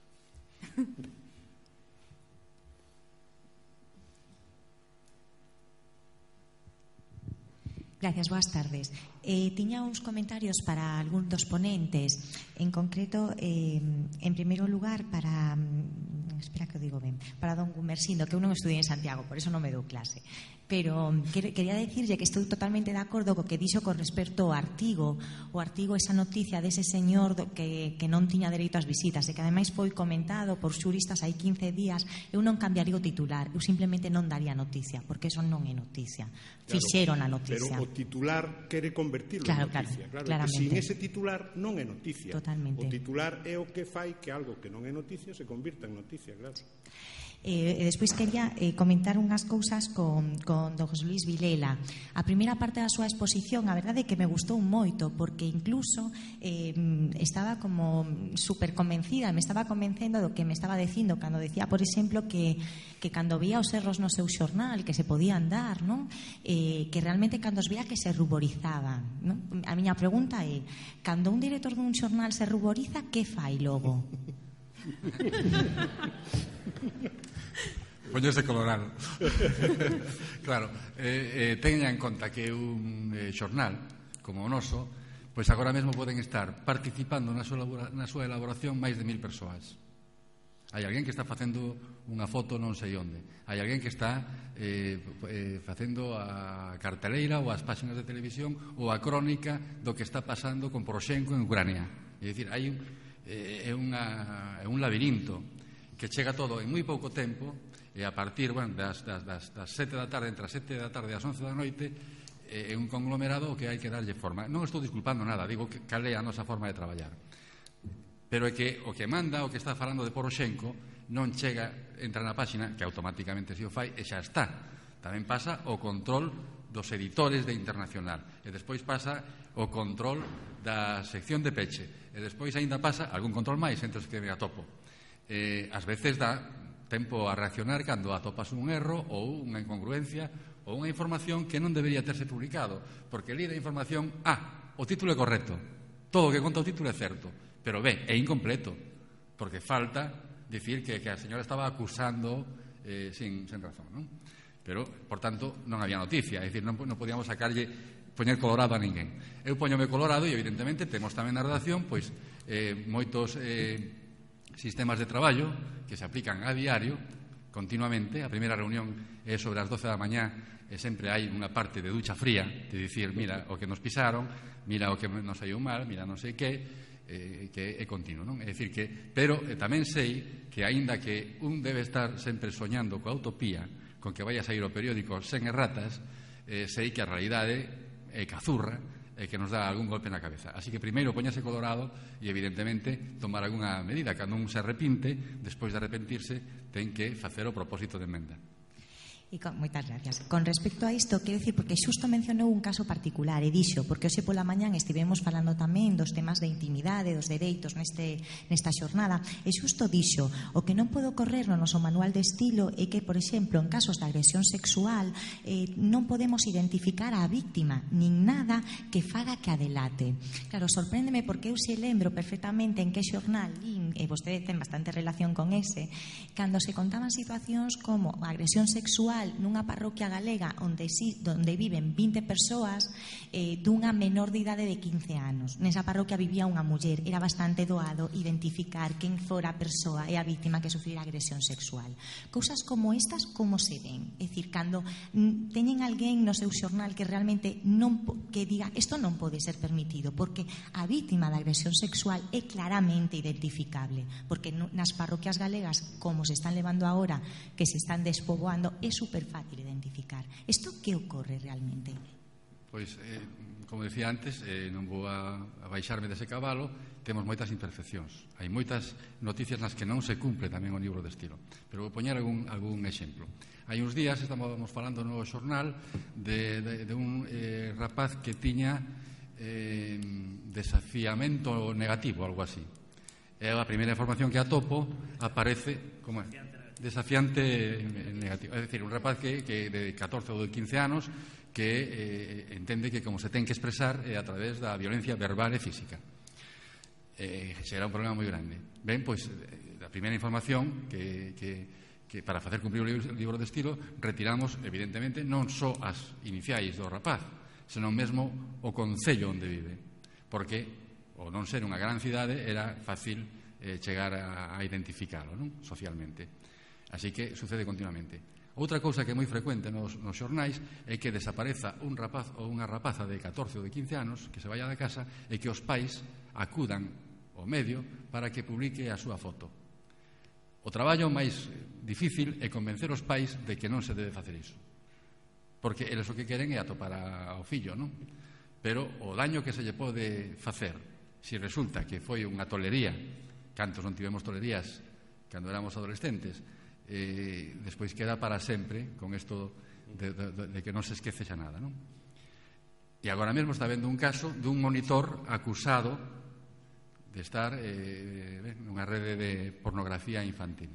Gracias, boas tardes. Tiña uns comentarios para algún dos ponentes. En concreto, en primeiro lugar, para don Gumersindo, que eu non estudiei en Santiago, por eso non me dou clase. Pero quería decirlle que estou totalmente de acordo co que dixo con respecto ao artigo. O artigo, esa noticia dese señor que non tiña dereito ás visitas, e que ademais foi comentado por xuristas hai 15 días. Eu non cambiaría o titular, eu simplemente non daría noticia, porque eso non é noticia. Fixeron a noticia. Pero o titular quere convertirlo en noticia. Claro, que sin ese titular non é noticia. Totalmente. O titular é o que fai que algo que non é noticia se convirta en noticia, claro. E despois quería comentar unhas cousas con don José Luis Vilela. A primeira parte da súa exposición, a verdade é que me gustou moito, porque incluso estaba como super convencida, me estaba convencendo do que me estaba dicindo cando decía, por exemplo, que cando vía os erros no seu xornal que se podían dar, non? Que realmente cando os vía que se ruborizaban, non? A miña pregunta é, cando un director dun xornal se ruboriza, que fai logo? Poñerse colorado. Claro, teña en conta que un xornal como o noso, pois agora mesmo poden estar participando na súa elaboración máis de 1000 persoas. Hai alguén que está facendo unha foto non sei onde. Hai alguén que está facendo a carteleira ou as páxinas de televisión ou a crónica do que está pasando con Poroshenko en Ucrania. É dicir, hai un labirinto que chega todo en moi pouco tempo e a partir das 7 da tarde, entre as 7 da tarde e as 11 da noite, é un conglomerado que hai que darlle forma. Non estou disculpando nada, digo que cal é a nosa forma de traballar. Pero é que o que manda, o que está falando de Poroshenko, non chega, entra na páxina, que automáticamente se o fai, e xa está. Tamén pasa o control dos editores de Internacional, e despois pasa o control da sección de peche, e despois aínda pasa algún control máis entre os que me atopo. Ás veces dá tempo a reaccionar cando atopas un erro ou unha incongruencia ou unha información que non debería terse publicado, porque li da información, o título é correcto, todo o que conta o título é certo, pero é incompleto, porque falta dicir que a señora estaba acusando sin razón, non? Pero, por tanto, non había noticia, é dicir, non podíamos poñer colorado a ninguén. Eu poñome colorado e, evidentemente, temos tamén na redacción moitos sistemas de traballo que se aplican a diario, continuamente. A primeira reunión é sobre as 12 da mañá e sempre hai unha parte de ducha fría, de dicir, mira o que nos pisaron, mira o que nos saiu mal, mira non sei que é continuo, non? É dicir que, pero tamén sei que aínda que un debe estar sempre soñando coa utopía, con que vai a sair o periódico sen erratas, sei que a realidade é cazurra e que nos dá algún golpe na cabeza. Así que primeiro poñase colorado e evidentemente tomar algunha medida. Cando un se arrepinte, despois de arrepentirse, ten que facer o propósito de emenda. Moitas gracias. Con respecto a isto, quero dicir, porque xusto mencionou un caso particular, e dixo, porque hoxe pola mañán estivemos falando tamén dos temas de intimidade, dos dereitos nesta xornada, e xusto dixo, o que non pode ocorrer no noso manual de estilo é que, por exemplo, en casos de agresión sexual non podemos identificar a víctima, nin nada que faga que a delate. Claro, sorpréndeme porque eu se lembro perfectamente en que xornal lín, e vostede ten bastante relación con ese, cando se contaban situacións como a agresión sexual nunha parroquia galega onde viven 20 persoas dunha menor de idade de 15 anos. Nesa parroquia vivía unha muller. Era bastante doado identificar quen fora a persoa e a víctima que sufrira agresión sexual. Cousas como estas, como se ven? É dicir, cando teñen alguén no seu xornal que realmente que diga isto non pode ser permitido, porque a víctima da agresión sexual é claramente identificable, porque nas parroquias galegas, como se están levando agora, que se están despoboando, é super fácil identificar. Isto que ocorre realmente? Pois, como decía antes, non vou a baixarme dese cabalo, temos moitas imperfeccións. Hai moitas noticias nas que non se cumple tamén o libro de estilo. Pero vou poñer algún exemplo. Hai uns días estábamos falando no xornal de un rapaz que tiña desafiamento negativo, algo así. E a primeira información que atopo aparece como desafiante negativo. É dicir, un rapaz que de 14 ou de 15 anos que entende que como se ten que expresar é a través da violencia verbal e física. Será un problema moi grande. Ben, pois, a primeira información que para facer cumprir o libro de estilo retiramos, evidentemente, non só as iniciais do rapaz, senón mesmo o concello onde vive, porque, ao non ser unha gran cidade, era fácil chegar a identificalo, non? Socialmente. Así que sucede continuamente. Outra cousa que é moi frecuente nos xornais é que desapareza un rapaz ou unha rapaza de 14 ou de 15 anos que se vaya da casa e que os pais acudan ao medio para que publique a súa foto. O traballo máis difícil é convencer os pais de que non se debe facer iso, porque eles o que queren é atopar ao fillo, non? Pero o daño que se lle pode facer se resulta que foi unha tolería, cantos non tivemos tolerías cando éramos adolescentes, despois queda para sempre con isto de que non se esquece xa nada, non? E agora mesmo está vendo un caso dun monitor acusado de estar nunha rede de pornografía infantil.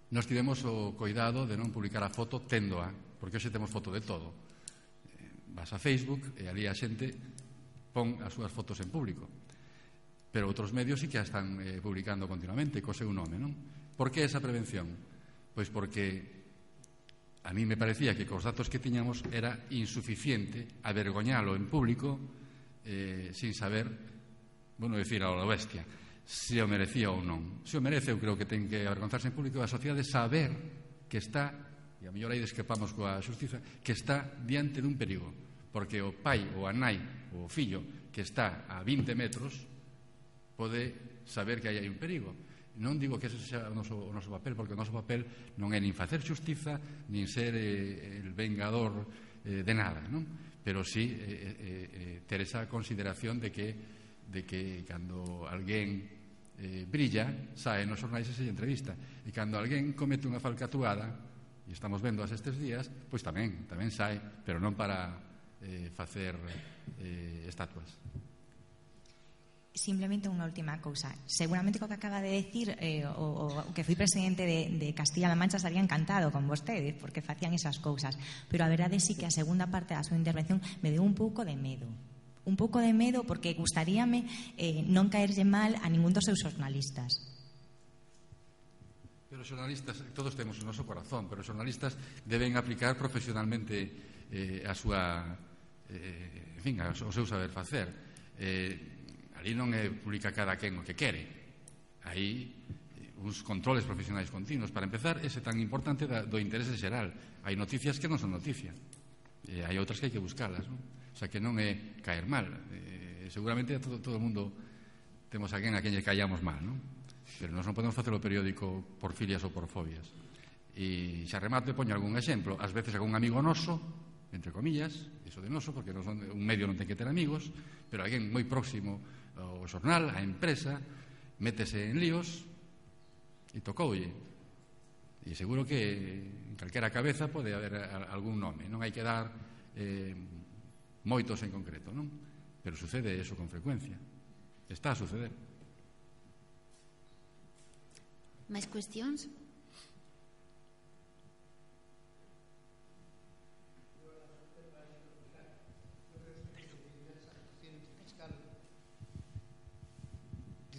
Nós tivemos o cuidado de non publicar a foto téndoa, porque hoxe temos foto de todo. Vas a Facebook e ali a xente pon as súas fotos en público, pero outros medios sí que a están publicando continuamente co seu nome, non? Por que esa prevención? Pois porque a mí me parecía que cos datos que tiñamos era insuficiente avergoñalo en público sin saber, bueno, decir a la bestia, se o merecía ou non. Se o merece, eu creo que ten que avergonzarse en público a sociedade saber que está, e a mellor aí discrepamos coa xustiza, que está diante dun perigo, porque o pai ou a nai ou o fillo que está a 20 metros pode saber que aí hai un perigo. Non digo que ese sea o noso papel, porque o noso papel non é nin facer xustiza, nin ser el vengador de nada, non? Pero sí ter esa consideración de que cando alguén brilla, sae nos xornais e se entrevista, e cando alguén comete unha falcatuada, e estamos vendo estes días, pois tamén sae, pero non para facer estatuas. Simplemente unha última cousa. Seguramente co que acaba de decir o que fui presidente de Castilla-La Mancha estaría encantado con vostedes porque facían esas cousas, pero a verdade sí que a segunda parte da súa intervención me deu un pouco de medo porque gustaríame non caerlle mal a ningún dos seus xornalistas. Pero os xornalistas, todos temos o noso corazón, pero os xornalistas deben aplicar profesionalmente a súa en fin, o seu saber facer. Ali non é publica cada quen o que quere. Aí uns controles profesionais continuos. Para empezar, ese tan importante do interese xeral. Hai noticias que non son noticia. Hai outras que hai que buscalas, non? O sea, que non é caer mal. Seguramente a todo o mundo temos alguén a quen lle callamos mal, non? Pero nós non podemos facer o periódico por filias ou por fobias. E xa remate, poño algún exemplo. Ás veces algún amigo noso, entre comillas, iso de noso, porque un medio non ten que ter amigos, pero alguén moi próximo ao xornal, á empresa, métese en líos e tocoulle. E seguro que en calquera cabeza pode haber algún nome, non hai que dar moitos en concreto, non? Pero sucede eso con frecuencia. Está a suceder. Máis cuestións?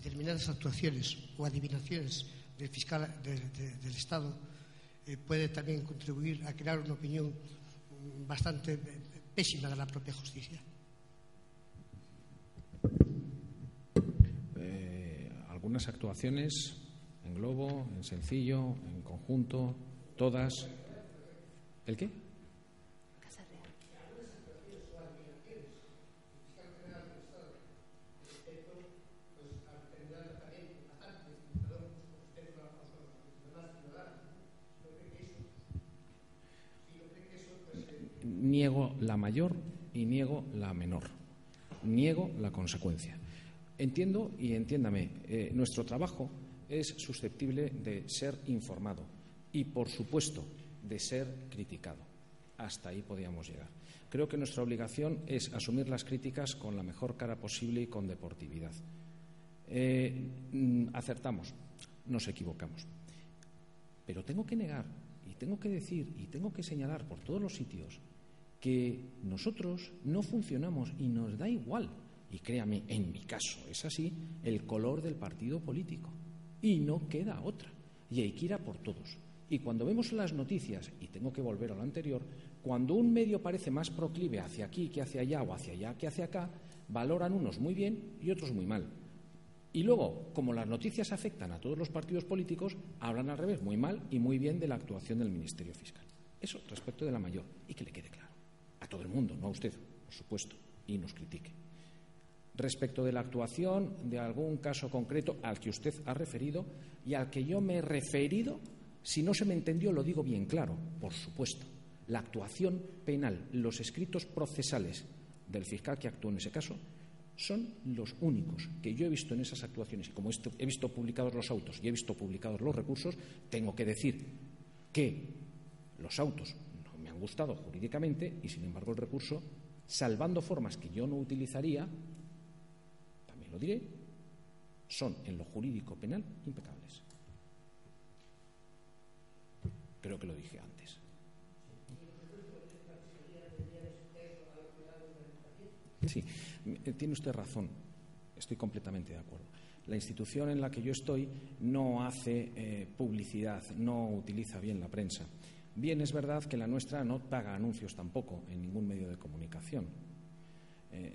Determinadas actuaciones o adivinaciones del fiscal del Estado puede también contribuir a crear una opinión bastante pésima de la propia justicia. Algunas actuaciones en globo, en sencillo, en conjunto, todas. ¿El qué? Niego la mayor y niego la menor. Niego la consecuencia. Entiendo y entiéndame, nuestro trabajo es susceptible de ser informado y, por supuesto, de ser criticado. Hasta ahí podíamos llegar. Creo que nuestra obligación es asumir las críticas con la mejor cara posible y con deportividad. Acertamos, nos equivocamos. Pero tengo que negar y tengo que decir y tengo que señalar por todos los sitios que nosotros no funcionamos y nos da igual, y créame, en mi caso es así, el color del partido político. Y no queda otra. Y hay que ir a por todos. Y cuando vemos las noticias, y tengo que volver a lo anterior, cuando un medio parece más proclive hacia aquí que hacia allá o hacia allá que hacia acá, valoran unos muy bien y otros muy mal. Y luego, como las noticias afectan a todos los partidos políticos, hablan al revés, muy mal y muy bien de la actuación del Ministerio Fiscal. Eso respecto de la mayor. Y que le quede claro. A todo el mundo, no a usted, por supuesto, y nos critique. Respecto de la actuación de algún caso concreto al que usted ha referido y al que yo me he referido, si no se me entendió lo digo bien claro, por supuesto. La actuación penal, los escritos procesales del fiscal que actuó en ese caso son los únicos que yo he visto en esas actuaciones. Y como he visto publicados los autos y he visto publicados los recursos, tengo que decir que los autos no me han gustado jurídicamente y, sin embargo, el recurso, salvando formas que yo no utilizaría, también lo diré, son en lo jurídico penal impecables. Creo que lo dije antes. Sí, tiene usted razón, estoy completamente de acuerdo. La institución en la que yo estoy no hace publicidad, no utiliza bien la prensa. Bien, es verdad que la nuestra no paga anuncios tampoco en ningún medio de comunicación.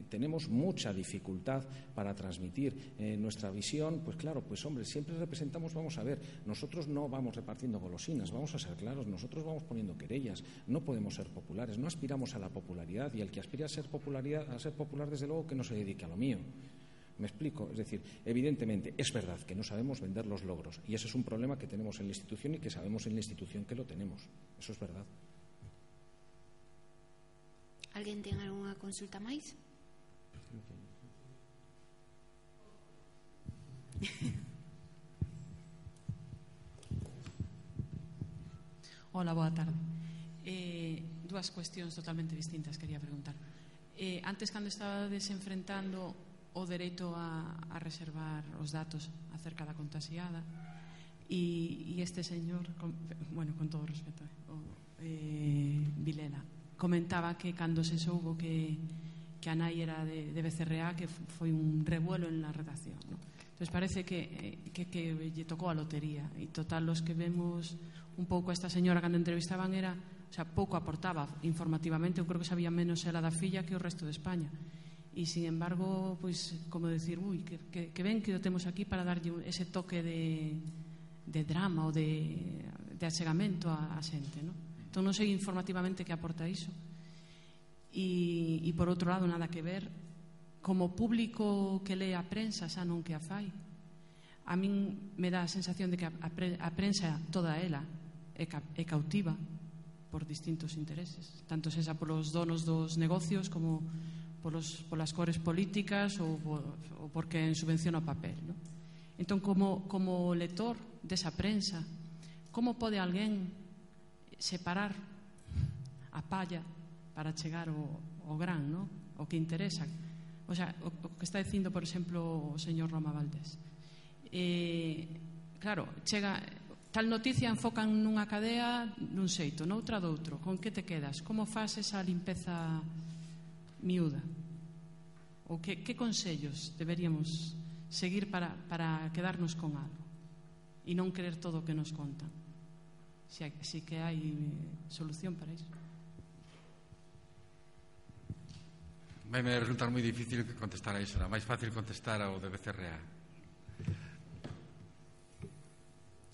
Tenemos mucha dificultad para transmitir nuestra visión. Pues claro, pues hombre, siempre representamos, vamos a ver, nosotros no vamos repartiendo golosinas, vamos a ser claros, nosotros vamos poniendo querellas, no podemos ser populares, no aspiramos a la popularidad, y el que aspira a ser popular, desde luego que no se dedique a lo mío. ¿Me explico? Es decir, evidentemente, es verdad que no sabemos vender los logros, y ese es un problema que tenemos en la institución y que sabemos en la institución que lo tenemos. Eso es verdad. Alguén ten algunha consulta máis? Hola, boa tarde. Dúas cuestións totalmente distintas quería preguntar. Antes, cando estabades enfrentando o dereito a reservar os datos acerca da contaxiada, e este señor, con todo respeto, Vilela, comentaba que cando se soubo que a nai era de BCRA, que foi un revuelo en la redacción, ¿no? Entonces parece que lle tocou a lotería, e total, los que vemos un pouco a esta señora cando entrevistaban era, o sea, pouco aportaba informativamente. Eu creo que sabía menos ela da filla que o resto de España, e sin embargo, pois, como decir, que ben que o temos aquí para darlle ese toque de drama ou de achegamento a xente, ¿no? Entón non sei informativamente que aporta iso. E por outro lado, nada que ver, como público que lee a prensa, xa non que a fai, a min me dá a sensación de que a prensa toda ela é cautiva por distintos intereses, tanto sexa polos donos dos negocios como polas cores políticas ou porque subvenciona o papel, ¿no? Entón, como lector desa prensa, como pode alguén separar a palla para chegar ao gran, ¿no? O que interesa? O sea, o que está dicindo, por exemplo, o señor Roma Valdés. Claro, chega tal noticia, enfocan nunha cadea nun xeito, noutra doutro. Con que te quedas? Como faz esa limpeza miúda? Ou que consellos deberíamos seguir para quedarnos con algo e non creer todo o que nos contan? Si que hai solución para iso. Vai me resultar moi difícil contestar a iso. Era máis fácil contestar ao de BCRA.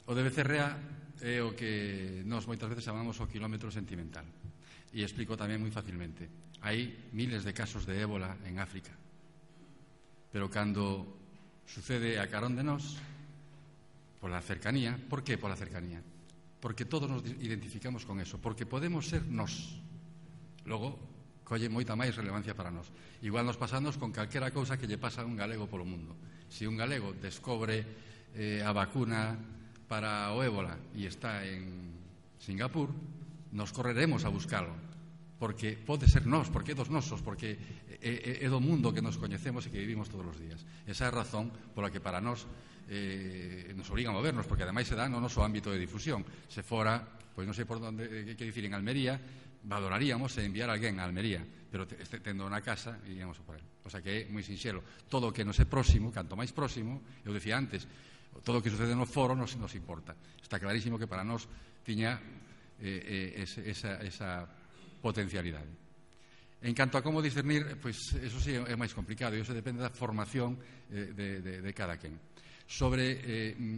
O de BCRA é o que nós moitas veces chamamos o quilómetro sentimental. E explico tamén moi facilmente. Hai miles de casos de ébola en África. Pero cando sucede a carón de nós, pola cercanía, por que pola cercanía? Porque todos nos identificamos con eso, porque podemos ser nós. Logo, colle moita máis relevancia para nós. Igual nos pasamos con calquera cousa que lle pasa a un galego polo mundo. Se un galego descobre a vacuna para o ébola e está en Singapur, nos correremos a buscalo, porque pode ser nós, porque é dos nosos, porque é do mundo que nos coñecemos e que vivimos todos os días. Esa é a razón pola que para nós nos obriga a movernos, porque ademais se dá no noso ámbito de difusión. Se fora, pois non sei por onde, que dicir, en Almería, valoraríamos enviar a alguén a Almería, pero tendo na casa iríamos por él. O sea que é moi sinxelo. Todo o que nos é próximo, canto máis próximo, eu dicía antes, todo o que sucede no foro nos importa. Está clarísimo que para nós tiña esa potencialidade. En canto a como discernir, pois eso sí é máis complicado, e eso depende da formación de cada quen. Sobre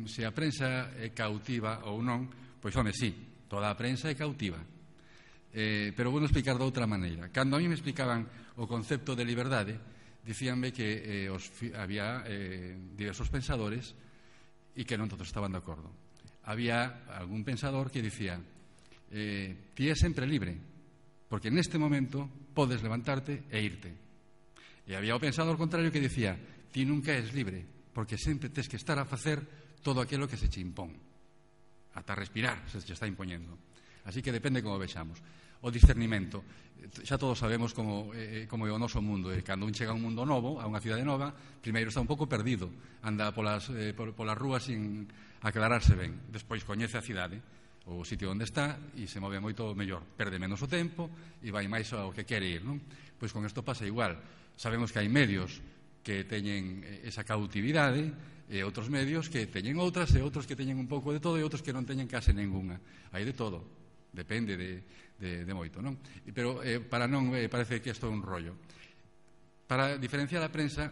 se a prensa é cautiva ou non, pois home, sí, toda a prensa é cautiva. Pero vou explicar de outra maneira. Cando a mí me explicaban o concepto de liberdade, dicíanme que había diversos pensadores e que non todos estaban de acordo. Había algún pensador que dicía ti é sempre libre, porque neste momento podes levantarte e irte. E había o pensador contrario que dicía ti nunca és libre, porque sempre tes que estar a facer todo aquilo que se che impón. Ata respirar se che está impoñendo. Así que depende como vexamos. O discernimento, xa todos sabemos como é o noso mundo. Cando un chega a un mundo novo, a unha cidade nova, primeiro está un pouco perdido, anda polas rúas sin aclararse ben. Despois coñece a cidade, o sitio onde está, e se move moito mellor, perde menos o tempo e vai máis ao que quere ir, non? Pois con isto pasa igual. Sabemos que hai medios que teñen esa cautividade e outros medios que teñen outras e outros que teñen un pouco de todo e outros que non teñen case ninguna. Hai de todo. Depende de moito, non? Pero para non parece que isto é un rollo. Para diferenciar a prensa,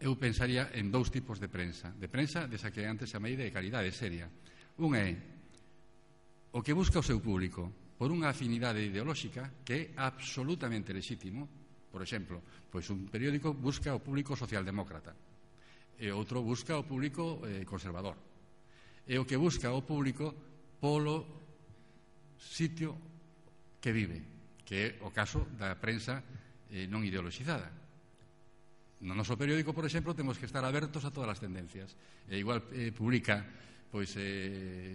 eu pensaría en dous tipos de prensa desa que antes chamei de calidade seria. Un é o que busca o seu público por unha afinidade ideolóxica que é absolutamente lexítimo. Por exemplo, pois un periódico busca o público socialdemócrata e outro busca o público conservador. E o que busca o público polo sitio que vive, que é o caso da prensa non ideoloxizada. No noso periódico, por exemplo, temos que estar abertos a todas as tendencias. E igual publica pois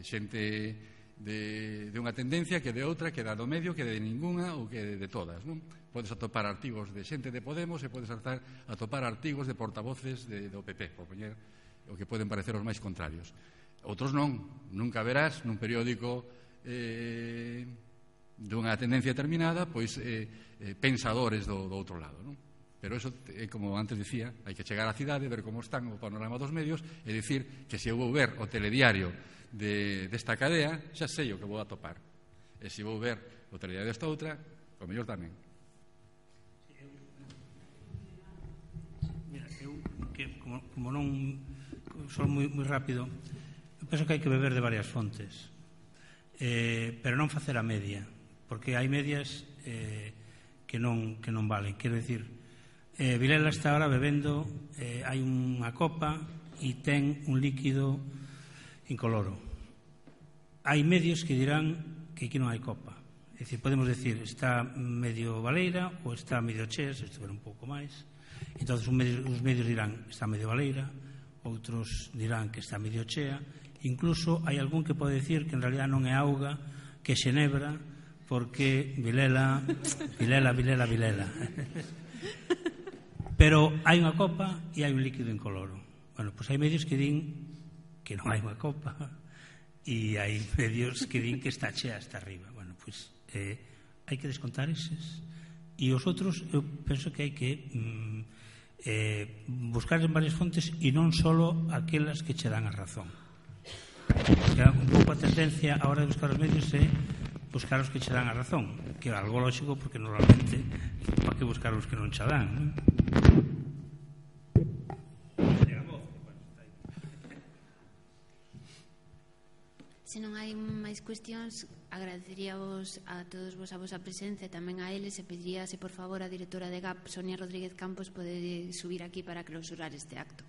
xente de unha tendencia que de outra, que da do medio, que de ninguna ou que de todas, non? Podes atopar artigos de xente de Podemos e podes atopar artigos de portavoces do PP, por poñer o que poden parecer os máis contrarios. Outros non. Nunca verás nun periódico dunha tendencia determinada pois pensadores do outro lado, non? Pero eso, como antes dicía, hai que chegar á cidade, ver como están o panorama dos medios e dicir que se eu vou ver o telediario desta cadea, xa sei o que vou atopar. E se vou ver o telediario desta outra, o mellor tamén. Mira, eu, que como non son moi rápido, eu penso que hai que beber de varias fontes, pero non facer a media, porque hai medias que non valen. Quero dicir, Vilela está ahora bebendo, hai unha copa e ten un líquido incoloro. Hai medios que dirán que aquí non hai copa. É dicir, podemos decir, está medio baleira ou está medio chea, se estiver un pouco máis. Entón, os medios dirán está medio baleira, outros dirán que está medio chea. Incluso hai algún que pode decir que en realidad non é auga, que é xenebra, porque Vilela. Pero hai unha copa e hai un líquido incoloro. Bueno, pois hai medios que din que non hai unha copa e hai medios que din que está chea hasta arriba. Bueno, pois hai que descontar eses. E os outros, eu penso que hai que buscar en varias fontes e non só aquelas que che dan a razón. Un pouco a tendencia a hora de buscar os medios é buscar os que che dan a razón, que é algo lógico porque normalmente para que buscar os que non che dan, non? Se non hai máis cuestións, agradeceríavos a todos vos a vosa presencia e tamén a eles e pediría se por favor a directora de GAP, Sonia Rodríguez Campos, pode subir aquí para clausurar este acto.